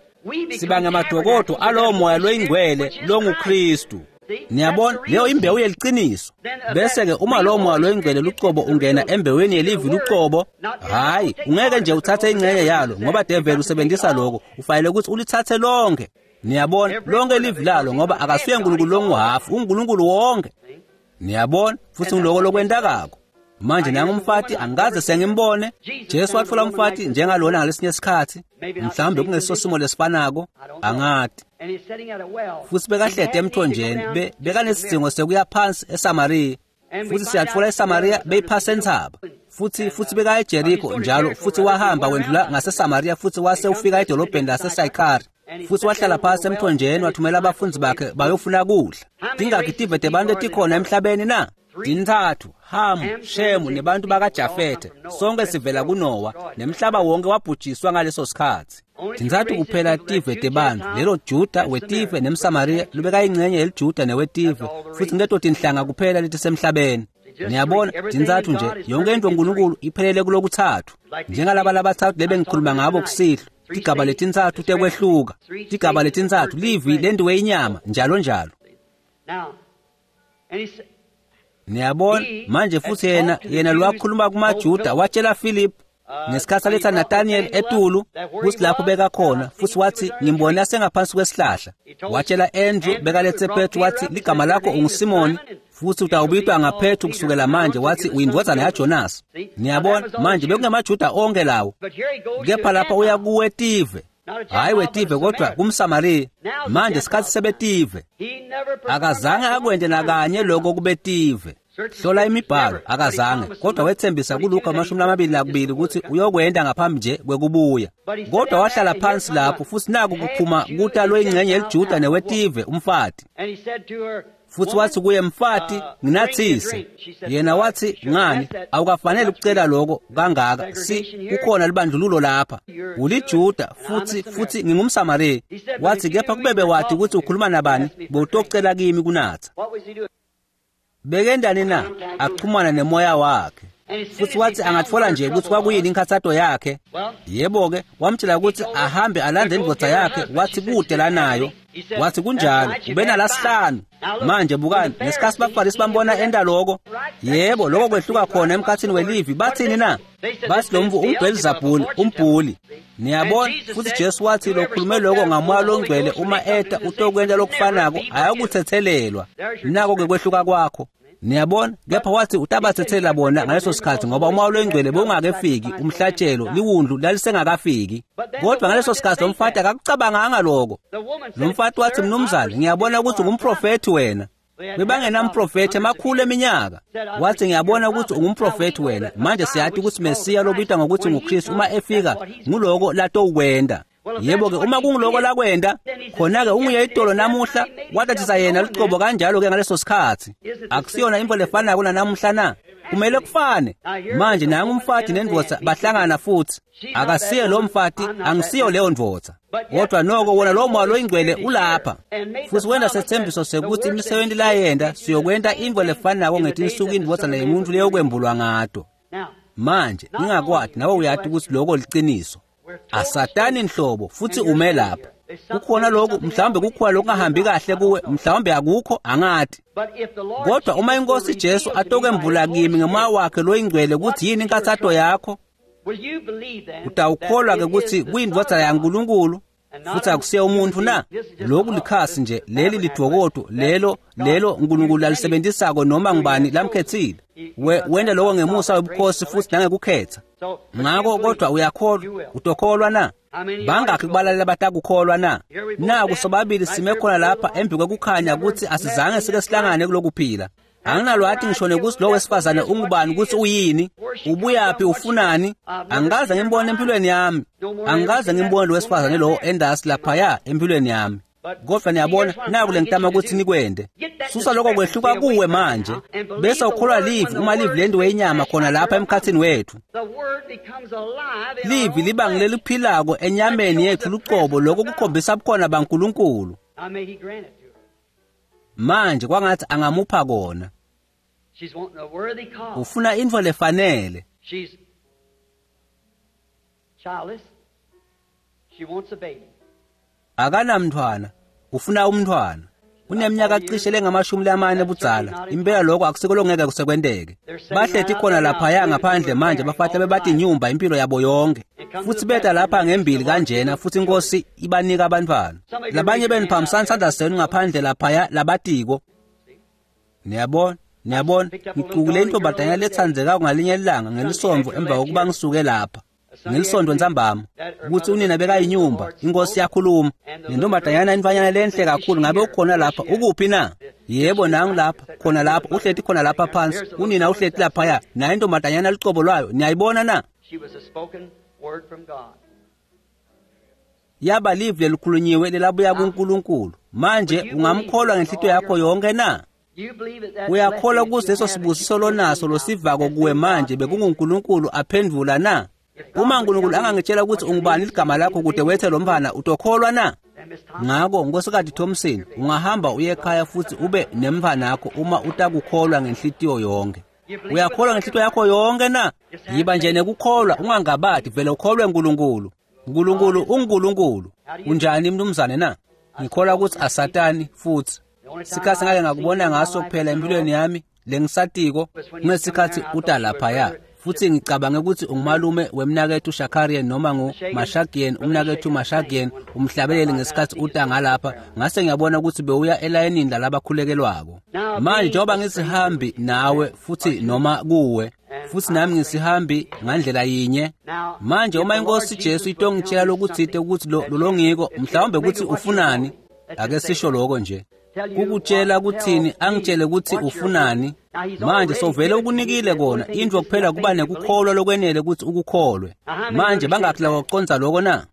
Siba ngamadokodo alowo moya loyingcwele longuKristu. Niyabona, leyo imbewu yeliqiniso. Bese-ke uma lowo moya loyingcwele lucobo ungena embeweni yelivi lucobo, hhayi, ungeke nje uthathe ingxenye yalo, ngoba develi usebenzisa lokho. Ufanele ukuthi ulithathe lonke. Niyabona, lonke livi lalo, ngoba akasuye uNkulunkulu longuhafu, uNkulunkulu wonke. Niyabona, futhi ngiloko lokwentakako. Manje nangumfati angikaze sengimbone. Jesu watfola umfati njengalona ngalesinye isikhathi, mhlawumbe kungeso simo lesifanako, angati. Futhi bekahlede emthonjeni, bekanesidingo sekuya phansi eSamariya. Futhi siyatfola eSamariya beyiphasa entsaba. Futsi beka eJeriko njalo, futsi wahamba wendlula ngaseSamariya futsi wase ufika edolobheni laseSayikhari. Futsi wahlala phasi emthonjeni, wathumela abafundzi bakhe bayofuna kudla. Tingakhi tive tebantu etikhona emhlabeni na? Tintsatfu, Hamu, Shemu nebantu bakaJafethe. Sonke sivela kuNowa, nemhlaba wonke wabhujiswa ngaleso sikhatsi. Tintsatfu kuphela tive tebantfu, lelo Juda wetive nemSamariya lobekayingcenye yeliJuda newetive, futsi nguleto tinhlanga kuphela letisemhlabeni. Niyabona, tintsatfu nje, yonke intfo uNkulunkulu iphelele kulokutsatfu. Njengalaba labatsatfu lebengikhuluma ngabo kusihlwa, tigaba letintsatfu tekwehluka, tigaba letintsatfu, livi lentiwe inyama, njalo njalo. Niyabona, manje futsi yena lwakhuluma kumaJuda, watshela Philip ngesikhatsi aletha Nathaniel etulu kutsi lapho bekakhona, futsi watsi ngimbone asengaphansi kwesihlahla. Watshela Andrew bekaletse Petru, watsi ligama lakho unguSimoni futsi utawubitwa ngaPetru kusukela manje, watsi uyindvodzana yaJonas. Niyabona, manje bekungemaJuda onke lawo, kepha lapha uya kuwetive, hhayi wetive kodwa kumSamariya. Manje sikhatsi sebetive, akazange akwente nakanye lokho kubetive. Hlola imibhalo, akazange, kodwa wethembisa kuLuka 22 ukuthi uyokwenda ngaphambi nje kwekubuya. Kodwa wahlala phansi lapho, futsi naku kuphuma kuta loyingcenye yeliJuda newetive umfati. Futsi watsi kuye, mfati, nginatsise. Yena watsi, ngani, awukafanele ukucela lokho kangaka, kukhona libandlululo lapha. UliJuda futsi ngingumSamariya. Watsi, kepha kubebe wati ukuthi ukhuluma nabani, bowutocela kimi kunatsa. Bekendani na? Axhumana nemoya wakhe. Futsi watsi angatfola nje kutsi kwakuyini inkhatsato yakhe. Yebo-ke, wamtshela kutsi ahambe alande indvodza yakhe, watsi kute lanayo. Watsi kunjalo, ube nalasihlanu. Manje bukani, ngesikhatsi baFarisi bambona enta loko, yebo, loko kwehluka khona emkhatsini welivi, batsini na? Batsi lo mvu unguBhelzebule, umbhuli. Niyabona, futsi Jesu watsi lokhulume loko ngaMoya loNgcwele uma eta utokwenta lokufanako, ayakutsetselelwa. Nako-ke kwehluka kwakho. Niyabona, kepha wathi utabatsetsela bona ngaleso sikhatsi ngoba uMoya loNgcwele bewungakefiki, umhlatshelo liwundlu lalisengakafiki. Kodwa ngaleso sikhatsi lo mfati akakucabanganga lokho. Lo mfati wathi, mnumzane, ngiyabona ukuthi ungumprofethi wena. Bebangenamprofethi emakhulu eminyaka. Wathi, ngiyabona ukuthi ungumprofethi wena. Manje siyati ukuthi Mesiya lobitwa ngokuthi nguKristu uma efika, nguloko latowukwenda. Yebo-ke, uma kunguloko lakwenda, khona-ke unguye itolo namuhla, watatisa yena lucobo kanjalo-ke ngaleso sikhatsi. Akusiyona intfo lefanako nanamuhla na? Kumele kufane. Manje nangu umfati nendvodza bahlangana futsi. Akasiye lo mfati, angisiyo leyo ndvodza. Kodwa noko wona lo Moya loyiNgcwele ulapha. Futsi wenta setsembiso sekuthi imisebenti layenta siyokwenta intfo lefanako ngetinsuku indvodzana yemuntfu leyokwembulwa ngato. Manje ningakwati, nawe uyati ukuthi lokho liciniso. Asatani nhlobo futsi ume lapha. Kukhona lokhu, mhlawumbe kukhona lokungahambi kahle kuwe, mhlawumbe akukho, angati. Kodwa uma iNkosi Jesu atokwembula kimi ngemoya wakhe loyingcwele ukuthi yini inkathato yakho, utawukholwa-ke ukuthi kuyindvodzana yaNkulunkulu futsi akusiye umuntfu na? Lokhu likhasi nje, leli lidvokodvo, lelo uNkulunkulu lalisebenzisako noma ngubani lamkhetsile. Wenta lokho ngemusa webukhosi futsi nangekukhetha. Ngako kodwa uyakholwa, utokholwa na? Bangakhi kubalalela batakukholwa na? Naku sobabili sime khona lapha embi kwekukhanya kutsi asizange sike sihlangane kulokuphila. Anginalwati ngisho nekuthi lo wesifazane ungubani, ukuthi uyini, ubuyaphi, ufunani. Angikaze ngimbone empilweni yami. Angikaze ngimbone lo wesifazane lo endasi laphaya empilweni yami. Kodwa niyabona, naku lengitama ukuthi nikwente. Susa lokho kwehluka kuwe manje, bese ukholwa livi uma livi lentiwe inyama khona lapha emkhatsini wethu. Livi liba ngileliphilako enyameni yethu lucobo, lokho kukhombisa bukhona baNkulunkulu. Manje kwangathi angamupha kona. Ufuna intfo lefanele. Akanamntfwana, ufuna umntfwana. Uneminyaka cishe lengamashumi lamane budzala. Impela lokho akusiko lokungeke kusekwenteke. Bahleti khona laphaya ngaphandle manje bafati bebatinyumba impilo yabo yonke. Futsi beta lapha ngembili kanjena futsi iNkosi ibanika abantwana. Labanye benu phambisani sandla senu ngaphandle laphaya labatiko. Niyabona, niyabona, ngicukule intombazanyana letsandzekako ngalinye ilanga ngelisonto emva kokuba ngisuke lapha. ngelisonto ntsambama ukuthi unina bekayinyumba inkosi yakhuluma nentombazanyana intfanyana lenhle kakhulu ngabe ukhona lapha ukuphi na yebo nangu lapha khona lapha uhleti khona lapha phansi unina uhleti laphaya naye intombazanyana lucobo lwayo niyayibona na yaba livi lelikhulunyiwe lelabuya kuNkulunkulu manje ungamkholwa ngenhlitiyo yakho yonke na uyakholwa kuseso sibusiso lonaso losivako kuwe manje bekunguNkulunkulu aphendvula na uma uNkulunkulu angangitshela ukuthi ungubani ligama lakho kude wethe lo mfana utokholwa na ngako Nkosikazi Thompson ungahamba uye ekhaya futhi ube nemntfwanakho uma utakukholwa ngenhlitiyo yonke uyakholwa ngenhlitiyo yakho yonke na yiba nje nekukholwa ungangabadi vele ukholwe uNkulunkulu uNkulunkulu unguNkulunkulu unjani mnumzane na ngikholwa ukuthi asatani futhi sikhathi ngake ngakubona ngaso kuphela empilweni yami lengisatiko kunesikhathi uta laphaya futhi ngicabange ukuthi ungumalume wemnakethu Shakarian noma nguMashagian umnakethu Mashagian umhlabeleli ngesikhathi uta ngalapha ngase ngiyabona ukuthi bewuya elayinini lalabakhulekelwako manje njengoba ngisihambi nawe futhi noma kuwe futhi nami ngisihambi ngandlela yinye manje uma inkosi Jesu itongitshela lokuthite ukuthi lolongiko mhlawumbe ukuthi ufunani ake sisho lokho nje kukutshela kuthini angitshele ukuthi ufunani manje sovele ukunikile kona into kuphela kuba nekukholwa lokwenele ukuthi ukukholwe manje bangakhi lawaconza lokho na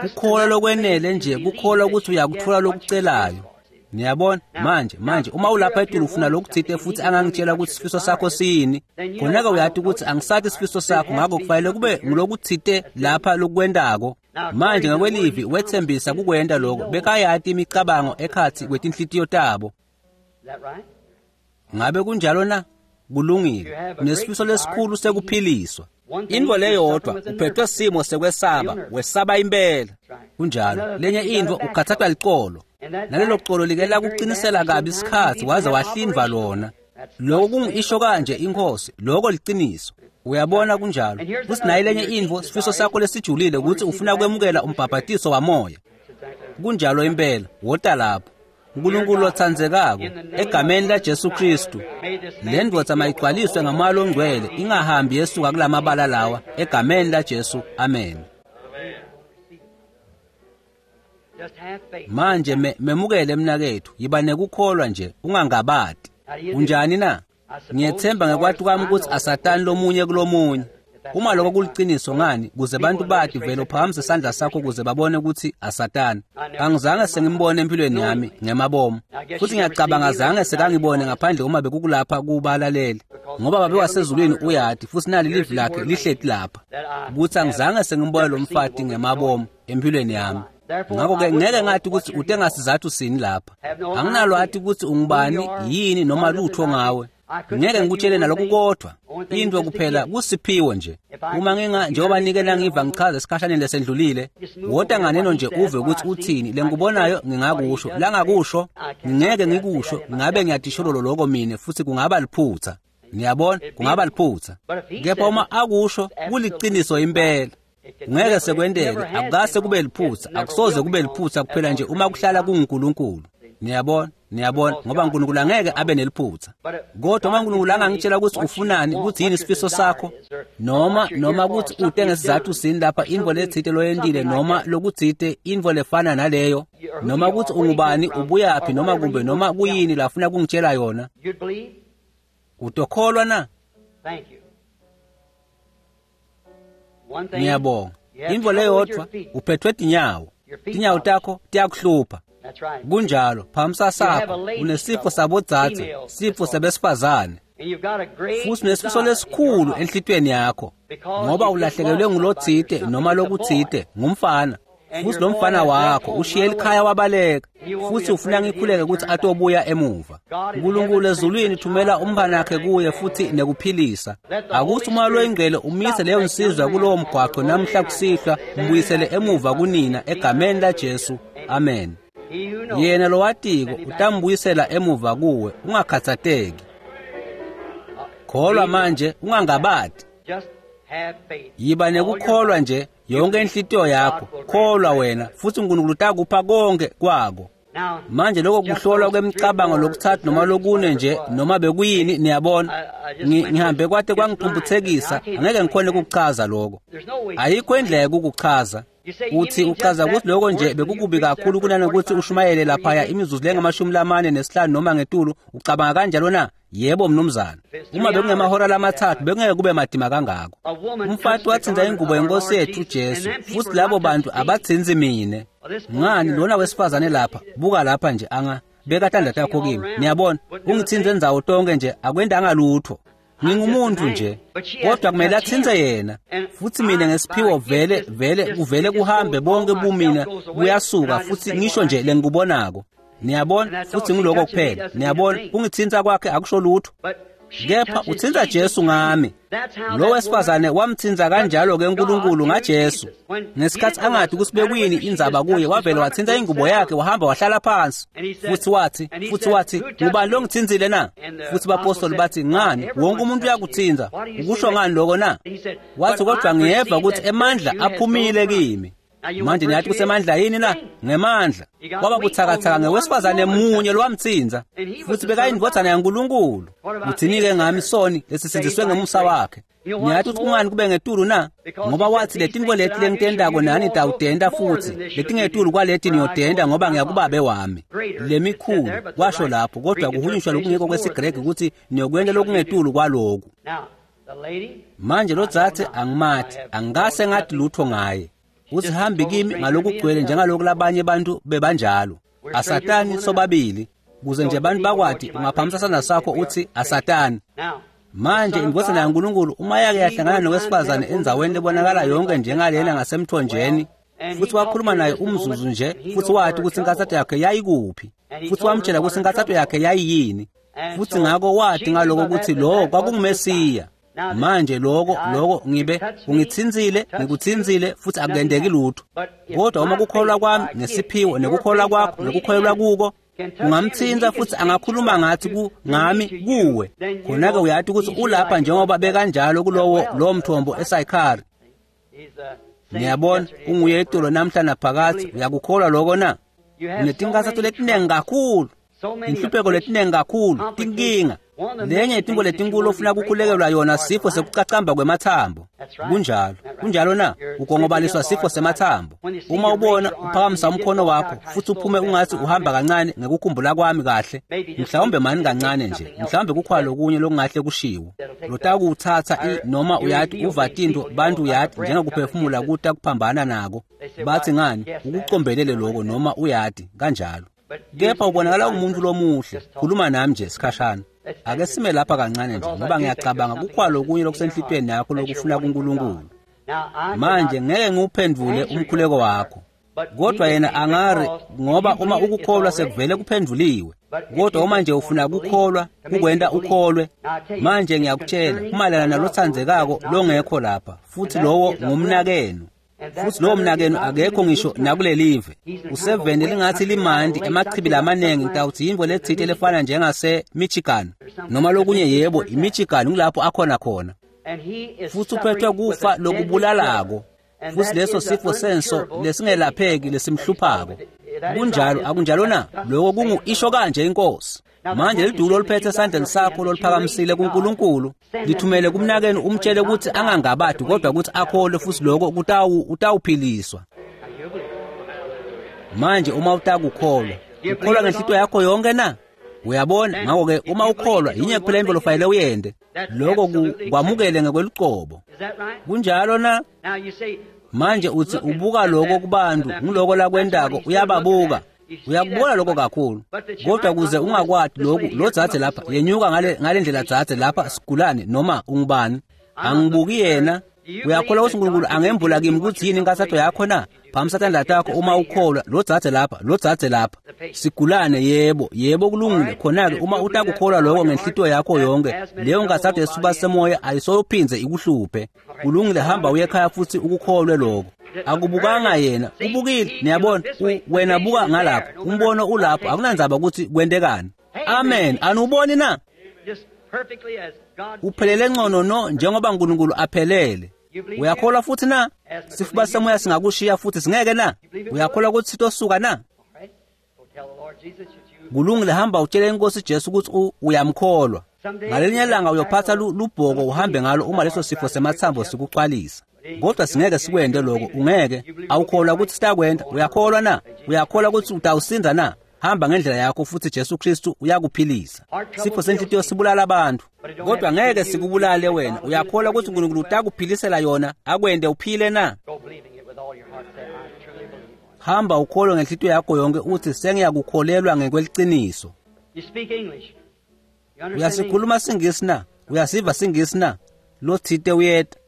kukholwa lokwenele nje kukholwa ukuthi uyakuthola lokucelayo niyabona manje manje uma ulapha etulu ufuna lokuthite futhi angangitshela ukuthi sifiso sakho siyini khona-ke uyati ukuthi angisathi sifiso sakho ngakho kufanele kube ngulokuthite lapha lokwendako manje ngakwelivi wethembisa kukwenta lokho bekayati imicabango ekhathi kwetinhlitiyo tabo ngabe kunjalo na kulungile unesifiso lesikhulu sekuphiliswa intfo leyodwa uphethwe simo sekwesaba wesaba impela kunjalo lenye intfo ukhathathwa licolo nalelo colo like lakuqinisela kabi isikhathi waze wahlindva lona lokho kungisho kanje inkosi lokho liciniso uyabona kunjalo futhi naye lenye intfo sifiso sakho lesijulile ukuthi ufuna kwemukela umbhabhatiso wamoya kunjalo impela wota lapho uNkulunkulu othandzekako egameni laJesu Kristu le ndvodza mayigcwaliswe ngamoya longcwele ingahambi yesuka kulamabala lawa egameni laJesu amen manje memukele mnakethu yiba nekukholwa nje ungangabadi unjani na ngiyethemba ngekwati kwami ukuthi asatani lomunye kulomunye uma lokho kuliciniso ngani kuze bantu bati vele uphakamise isandla sakho kuze babone ukuthi asatani angizange sengimbone empilweni yami ngemabomu futhi ngiyacabanga zange sekangibone ngaphandle uma bekukulapha kubalaleli ngoba babe wasezulwini uyati futhi nali livi lakhe lihleti lapha ukuthi angizange sengimbone lo mfati ngemabomu empilweni yami ngakho-ke ngeke ngathi ukuthi ute ngasizathu sini lapha anginalwati ukuthi ungubani yini noma lutho ngawe ngeke ngikutshele nalokhu kodwa into kuphela kusiphiwo nje uma nginga njengoba nike nangiva ngichaza esikhashaneni lesendlulile wota nganeno nje uve ukuthi uthini lengikubonayo ngingakusho langakusho ngingeke ngikusho ngabe ngiyadishololo lokho mina futhi kungaba liphutha niyabona kungaba liphutha kepha uma akusho kuliciniso impela ngeke sekwenteke akukase kube liphutha akusoze kube liphutha kuphela nje uma kuhlala kunguNkulunkulu niyabona niyabona ngoba uNkulunkulu angeke abe neliphutha kodwa uma uNkulunkulu angangitshela ukuthi ufunani ukuthi yini isifiso sakho noma noma ukuthi ute ngesizathu sini lapha intfo letsite loyentile noma lokutsite intfo lefana naleyo noma ukuthi ungubani ubuyaphi noma kumbe noma kuyini lafuna kungitshela yona utokholwa na ngiyabonga intfo leyodwa uphethwe tinyawo tinyawo takho tiyakuhlupha kunjalo phamisa sakho unesifo sabodzadze sifo sebesifazane futhi unesifiso lesikhulu enhlitiyweni yakho ngoba ulahlekelwe ngulotsite noma lokutsite ngumfana futhi lo mfana wakho ushiye likhaya wabaleka futhi ufuna ngikhuleke ukuthi atobuya emuva uNkulunkulu ezulwini thumela umntwana wakhe kuye futhi nekuphilisa akuthi umoya loyingcwele umise leyo nsizwa kulowo mgwaqo namhla kusihlwa mbuyisele emuva kunina egameni laJesu amen yena lowatiko utambuyisela emuva kuwe ungakhathateki kholwa manje ungangabadi yiba nekukholwa nje yonke inhlitiyo yakho kholwa wena futhi uNkulunkulu utakupha konke kwako Manje lokho kuhlolwa kwemicabango lokuthathu noma lokune nje noma bekuyini, niyabona. Ngihambe kwate kwangiphumphuthekisa, angeke ngikhone ukukuchaza lokho. Ayikho indlela yokukuchaza. Uthi uchaza ukuthi lokho nje bekukubi kakhulu kunanokuthi ushumayele laphaya imizuzu lengu-45 noma ngetulu. Ucabanga kanjalo na? Yebo mnumzane. Uma bekungemahora lamathathu bekungeke kube madima kangako. Umfati wathinta ingubo yenkosi yethu uJesu, futhi labo bantu abathinzi mina. Ngani lona wesifazane lapha, buka lapha nje anga beka tandla takho kimi. Niyabona, ungithinze ndzawo tonke nje akwendanga lutho. Ngingumuntu nje, kodwa kumele athintse yena. Futhi mina ngesiphiwo vele vele kuvele kuhambe bonke bumina buyasuka futhi ngisho nje lengikubonako. Niyabona, futhi ngiloko kuphela. Niyabona, kungithinta kwakhe akusho lutho. Kepha uthinta Jesu ngami. Lo wesifazane wamthinta kanjalo ke uNkulunkulu ngaJesu. Ngesikhathi angathi ukuthi bekuyini indzaba kuye, wavele wathinta ingubo yakhe wahamba wahlala phansi. Futhi wathi ngubani lo ngithinzile na? Futhi bapostoli bathi ngani wonke umuntu uyakuthinta, ukusho ngani lokho na? Wathi kodwa ngiyeva ukuthi emandla aphumile kimi. Manje niyathi kusemandla yini na? Ngemandla. Kwaba buthakathaka ngewesifazane munye lowamthinza, futhi bekayindvodzana yaNkulunkulu. Uthini-ke ngami soni lesisindziswe ngemusa wakhe? Niyathi ukuthi kungani kube ngetulu na? Ngoba wathi letintfo leti lengitendako nani nitawutenta futhi, letingetulu kwaleti niyotenta ngoba ngiyakubabe wami. Lemikhulu washo lapho, kodwa kuhunyushwa lokungekho kwesiGreki ukuthi niyokwenta lokungetulu kwaloku. Manje lo dzadze angimathi, angikase ngathi lutho ngaye. Uthi hambi kimi ngalokugcwele njengalokhu labanye bantu bebanjalo. Asatani sobabili, kuze nje abantu bakwati ungaphamisa sandla sakho uthi asatani. Manje indvodzana yaNkulunkulu uma yake yahlangana nowesifazane endzaweni lebonakala yonke njengalena ngasemthonjeni, futhi wakhuluma naye umzuzu nje, futhi wathi ukuthi inkathatho yakhe yayikuphi, futhi wamtshela ukuthi inkathatho yakhe yayiyini, futhi ngakho wathi ngaloko ukuthi lo kwakunguMesiya. Manje lokho ngibe ungithinzile, ngikuthinzile futhi akuyendeki lutho. Kodwa uma kukholwa kwami ngesiphiwo nekukholwa kwakho nekukholelwa kuko ungamthinta futhi angakhuluma ngathi ngami kuwe, khona-ke uyathi ukuthi ulapha njengoba bekanjalo kulowo lowo mthombo eSayikhari. Niyabona, unguye itolo namhla naphakathi. Uyakukholwa lokho na? Unetinkathatho letinengi kakhulu, inhlupheko letinengi kakhulu, tinkinga. Lenye intfo letinkulu ofuna kukhulekelwa yona sifo sekucacamba kwemathambo. Kunjalo, kunjalo na? Ugongobaliswa sifo semathambo. Uma ubona uphakamisa umkhono wakho futhi uphume ungathi uhamba kancane ngekukhumbula kwami kahle, mhlawumbe mani kancane nje, mhlawumbe kukhona lokunye lokungahle kushiwo. Lotakuthatha noma uyathi uva tintfo bantu uyathi njengokuphefumula kuta kuphambana nako. Bathi ngani ukucombelele lokho noma uyathi kanjalo. Kepha ubonakala ungumuntu lomuhle. Khuluma nami nje sikhashana. Ake sime lapha kancane nje ngoba ngiyacabanga kukhona lokunye lokusenhlitweni yakho lokufuna kuNkulunkulu. Manje ngeke ngiwuphendvule umkhuleko wakho, kodwa yena angari, ngoba uma ukukholwa sekuvele kuphendvuliwe. Kodwa uma nje ufuna kukholwa kukwenta ukholwe. Manje ngiyakutshela kumayelana nalotsandzekako longekho lapha, futhi lowo ngumnakenu. Futhi lowo mnakenu akekho ngisho nakulelive. Useveni lingathi limandi emachibi lamanengi, ngitawuthi yintfo letsite lefana njengase Michigan noma lokunye. Yebo, iMichigan ngulapho akhona khona. Futhi uphethwe kufa lokubulalako, futhi leso sifo senso lesingelapheki lesimhluphako. Kunjalo, akunjalo na? Lokho kungu isho kanje inkosi. Manje lidulo oliphethe esandleni sakho loluphakamisile kuNkulunkulu, lithumele kumnakenu umtshele ukuthi angangabadi kodwa ukuthi akholwe, futhi lokho utawuphiliswa. Manje uma utakukholwa, ukholwa ngenhlito yakho yonke na? Uyabona, ngakho-ke uma ukholwa yinye kuphela intfo lofanele uyente, lokho kwamukele ngekwelucobo. Kunjalo na? Manje uthi ubuka lokho kubantu, ngiloko lakwentako, uyababuka. Uyakubona lokho kakhulu. Kodwa kuze ungakwati lokhu, lo dzadze lapha yenyuka ngale ndlela dzadze lapha sigulane noma ungubani. Angibuki yena. Uyakholwa ukuthi uNkulunkulu angembula kimi ukuthi yini inkathatho yakho na? Phamisa tandla takho uma ukholwa. Lo dzadze lapha, lo dzadze lapha. Sigulane, yebo, yebo kulungile. Khona-ke uma utakukholwa lokho ngenhlitiyo yakho yonke, leyo nkathatho yesifuba semoya ayisoyophindze ikuhluphe. Kulungile, hamba uye ekhaya futhi ukukholwe lokho. Akubukanga yena, ubukile. Niyabona, wena buka ngalapho, umbono ulapho, akunandzaba ukuthi kwentekani. Amen. Anuboni na? Uphelele ngcono no njengoba uNkulunkulu aphelele. Uyakholwa futhi na? Sifuba semoya singakushiya futhi singeke na? Uyakholwa ukuthi sitosuka na? Kulungile, hamba utshele inkosi Jesu ukuthi uyamkholwa. Ngalinye ilanga uyophatha lubhoko uhambe ngalo uma leso sifo semathambo sikuxwalisa. Kodwa singeke sikwende lokho, ungeke. Awukholwa ukuthi sitakwenda? Uyakholwa na? Uyakholwa ukuthi utawusinda na? Hamba ngendlela yakho futhi Jesu Kristu uyakuphilisa. Sifo senhlitiyo sibulala abantu, kodwa ngeke sikubulale wena. Uyakholwa ukuthi uNkulunkulu utakuphilisela yona akwende uphile na? Hamba ukholwe ngenhlitiyo yakho yonke uthi sengiyakukholelwa ngekweliciniso. Uyasikhuluma siNgisi na? Uyasiva siNgisi na? Lothite uyeta.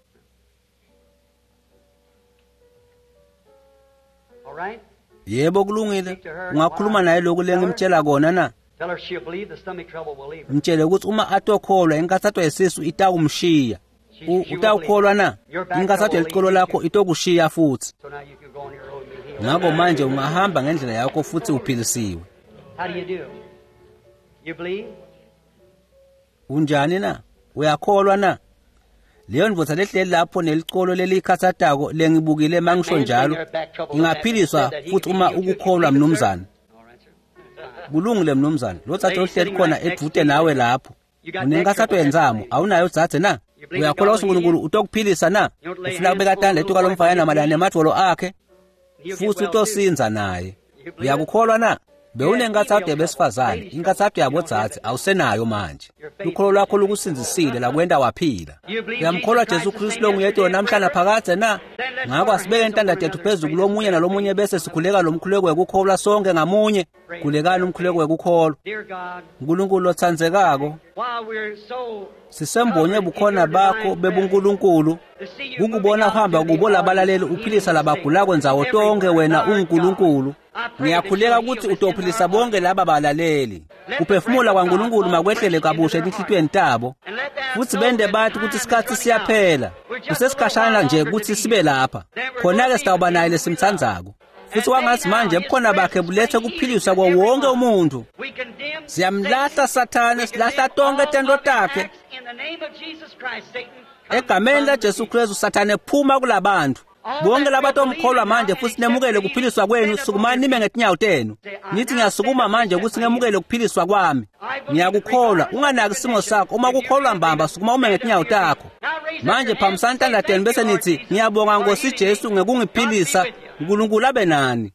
Yebo, kulungile. Ungakhuluma naye lokhu lengimtshela kona na? Mtshele ukuthi uma atokholwa inkathatho yesisu itakumshiya. Utawukholwa na? Inkathatho yelicolo lakho itokushiya futhi. Ngakho manje ungahamba ngendlela yakho futhi uphilisiwe. Unjani na? Uyakholwa na? Leyo ndvodza lehleli lapho nelicolo lelikhathatako lengibukile mangisho njalo ingaphiliswa futhi uma ukukholwa, mnumzane. Kulungile mnumzane. Lo dzadze ohleli khona edvute nawe lapho unenkathato yentsamo, awunayo dzadze na? Uyakholwa ukuthi uNkulunkulu utokuphilisa na? Ufuna kubeka tandla etuka lomfana mayelana nemadvolo akhe futhi utosinza naye. Uyakukholwa na? Bewunenkathato yabesifazane, inkathato yabodzadze awusenayo manje. Lukholo lwakho lukusindzisile lakwenta waphila. Uyamkholwa Jesu Kristu longuyedwa namhlanje phakadze na? Ngakho asibeke intanda tethu phezulu kulomunye nalomunye bese sikhuleka lo mkhuleko wekukholwa sonke ngamunye. Khulekani umkhuleko wekukholwa. Nkulunkulu lotsandzekako, sisembonye bukhona bakho bebuNkulunkulu kukubona uhamba kubo labalaleli uphilisa labagulako ndzawo tonke. Wena unguNkulunkulu. Ngiyakhuleka ukuthi utophilisa bonke laba balaleli. Kuphefumula kwaNkulunkulu makwehlele kabusha etinhlitiyweni tabo futhi bende bathi ukuthi isikhathi siyaphela, kusesikhashana nje ukuthi sibe lapha. Khona-ke sitawuba naye lesimtsandzako. Futhi kwangathi manje bukhona bakhe bulethe kuphiliswa kwa wonke umuntu. Siyamlahla Sathane, silahla tonke tento takhe. Egameni laJesu Kristu, Sathane phuma kulabantu. Bonke labatomkholwa manje futhi nemukele kuphiliswa kwenu, sukumani nime ngetinyawo tenu. Nithi ngiyasukuma manje ukuthi ngemukele kuphiliswa kwami. Ngiyakukholwa, unganaki isimo sakho. Uma kukholwa mbamba, sukuma ume ngetinyawo takho. Manje phambisani tandla tenu bese nithi ngiyabonga Nkosi Jesu ngekungiphilisa. uNkulunkulu abe nani.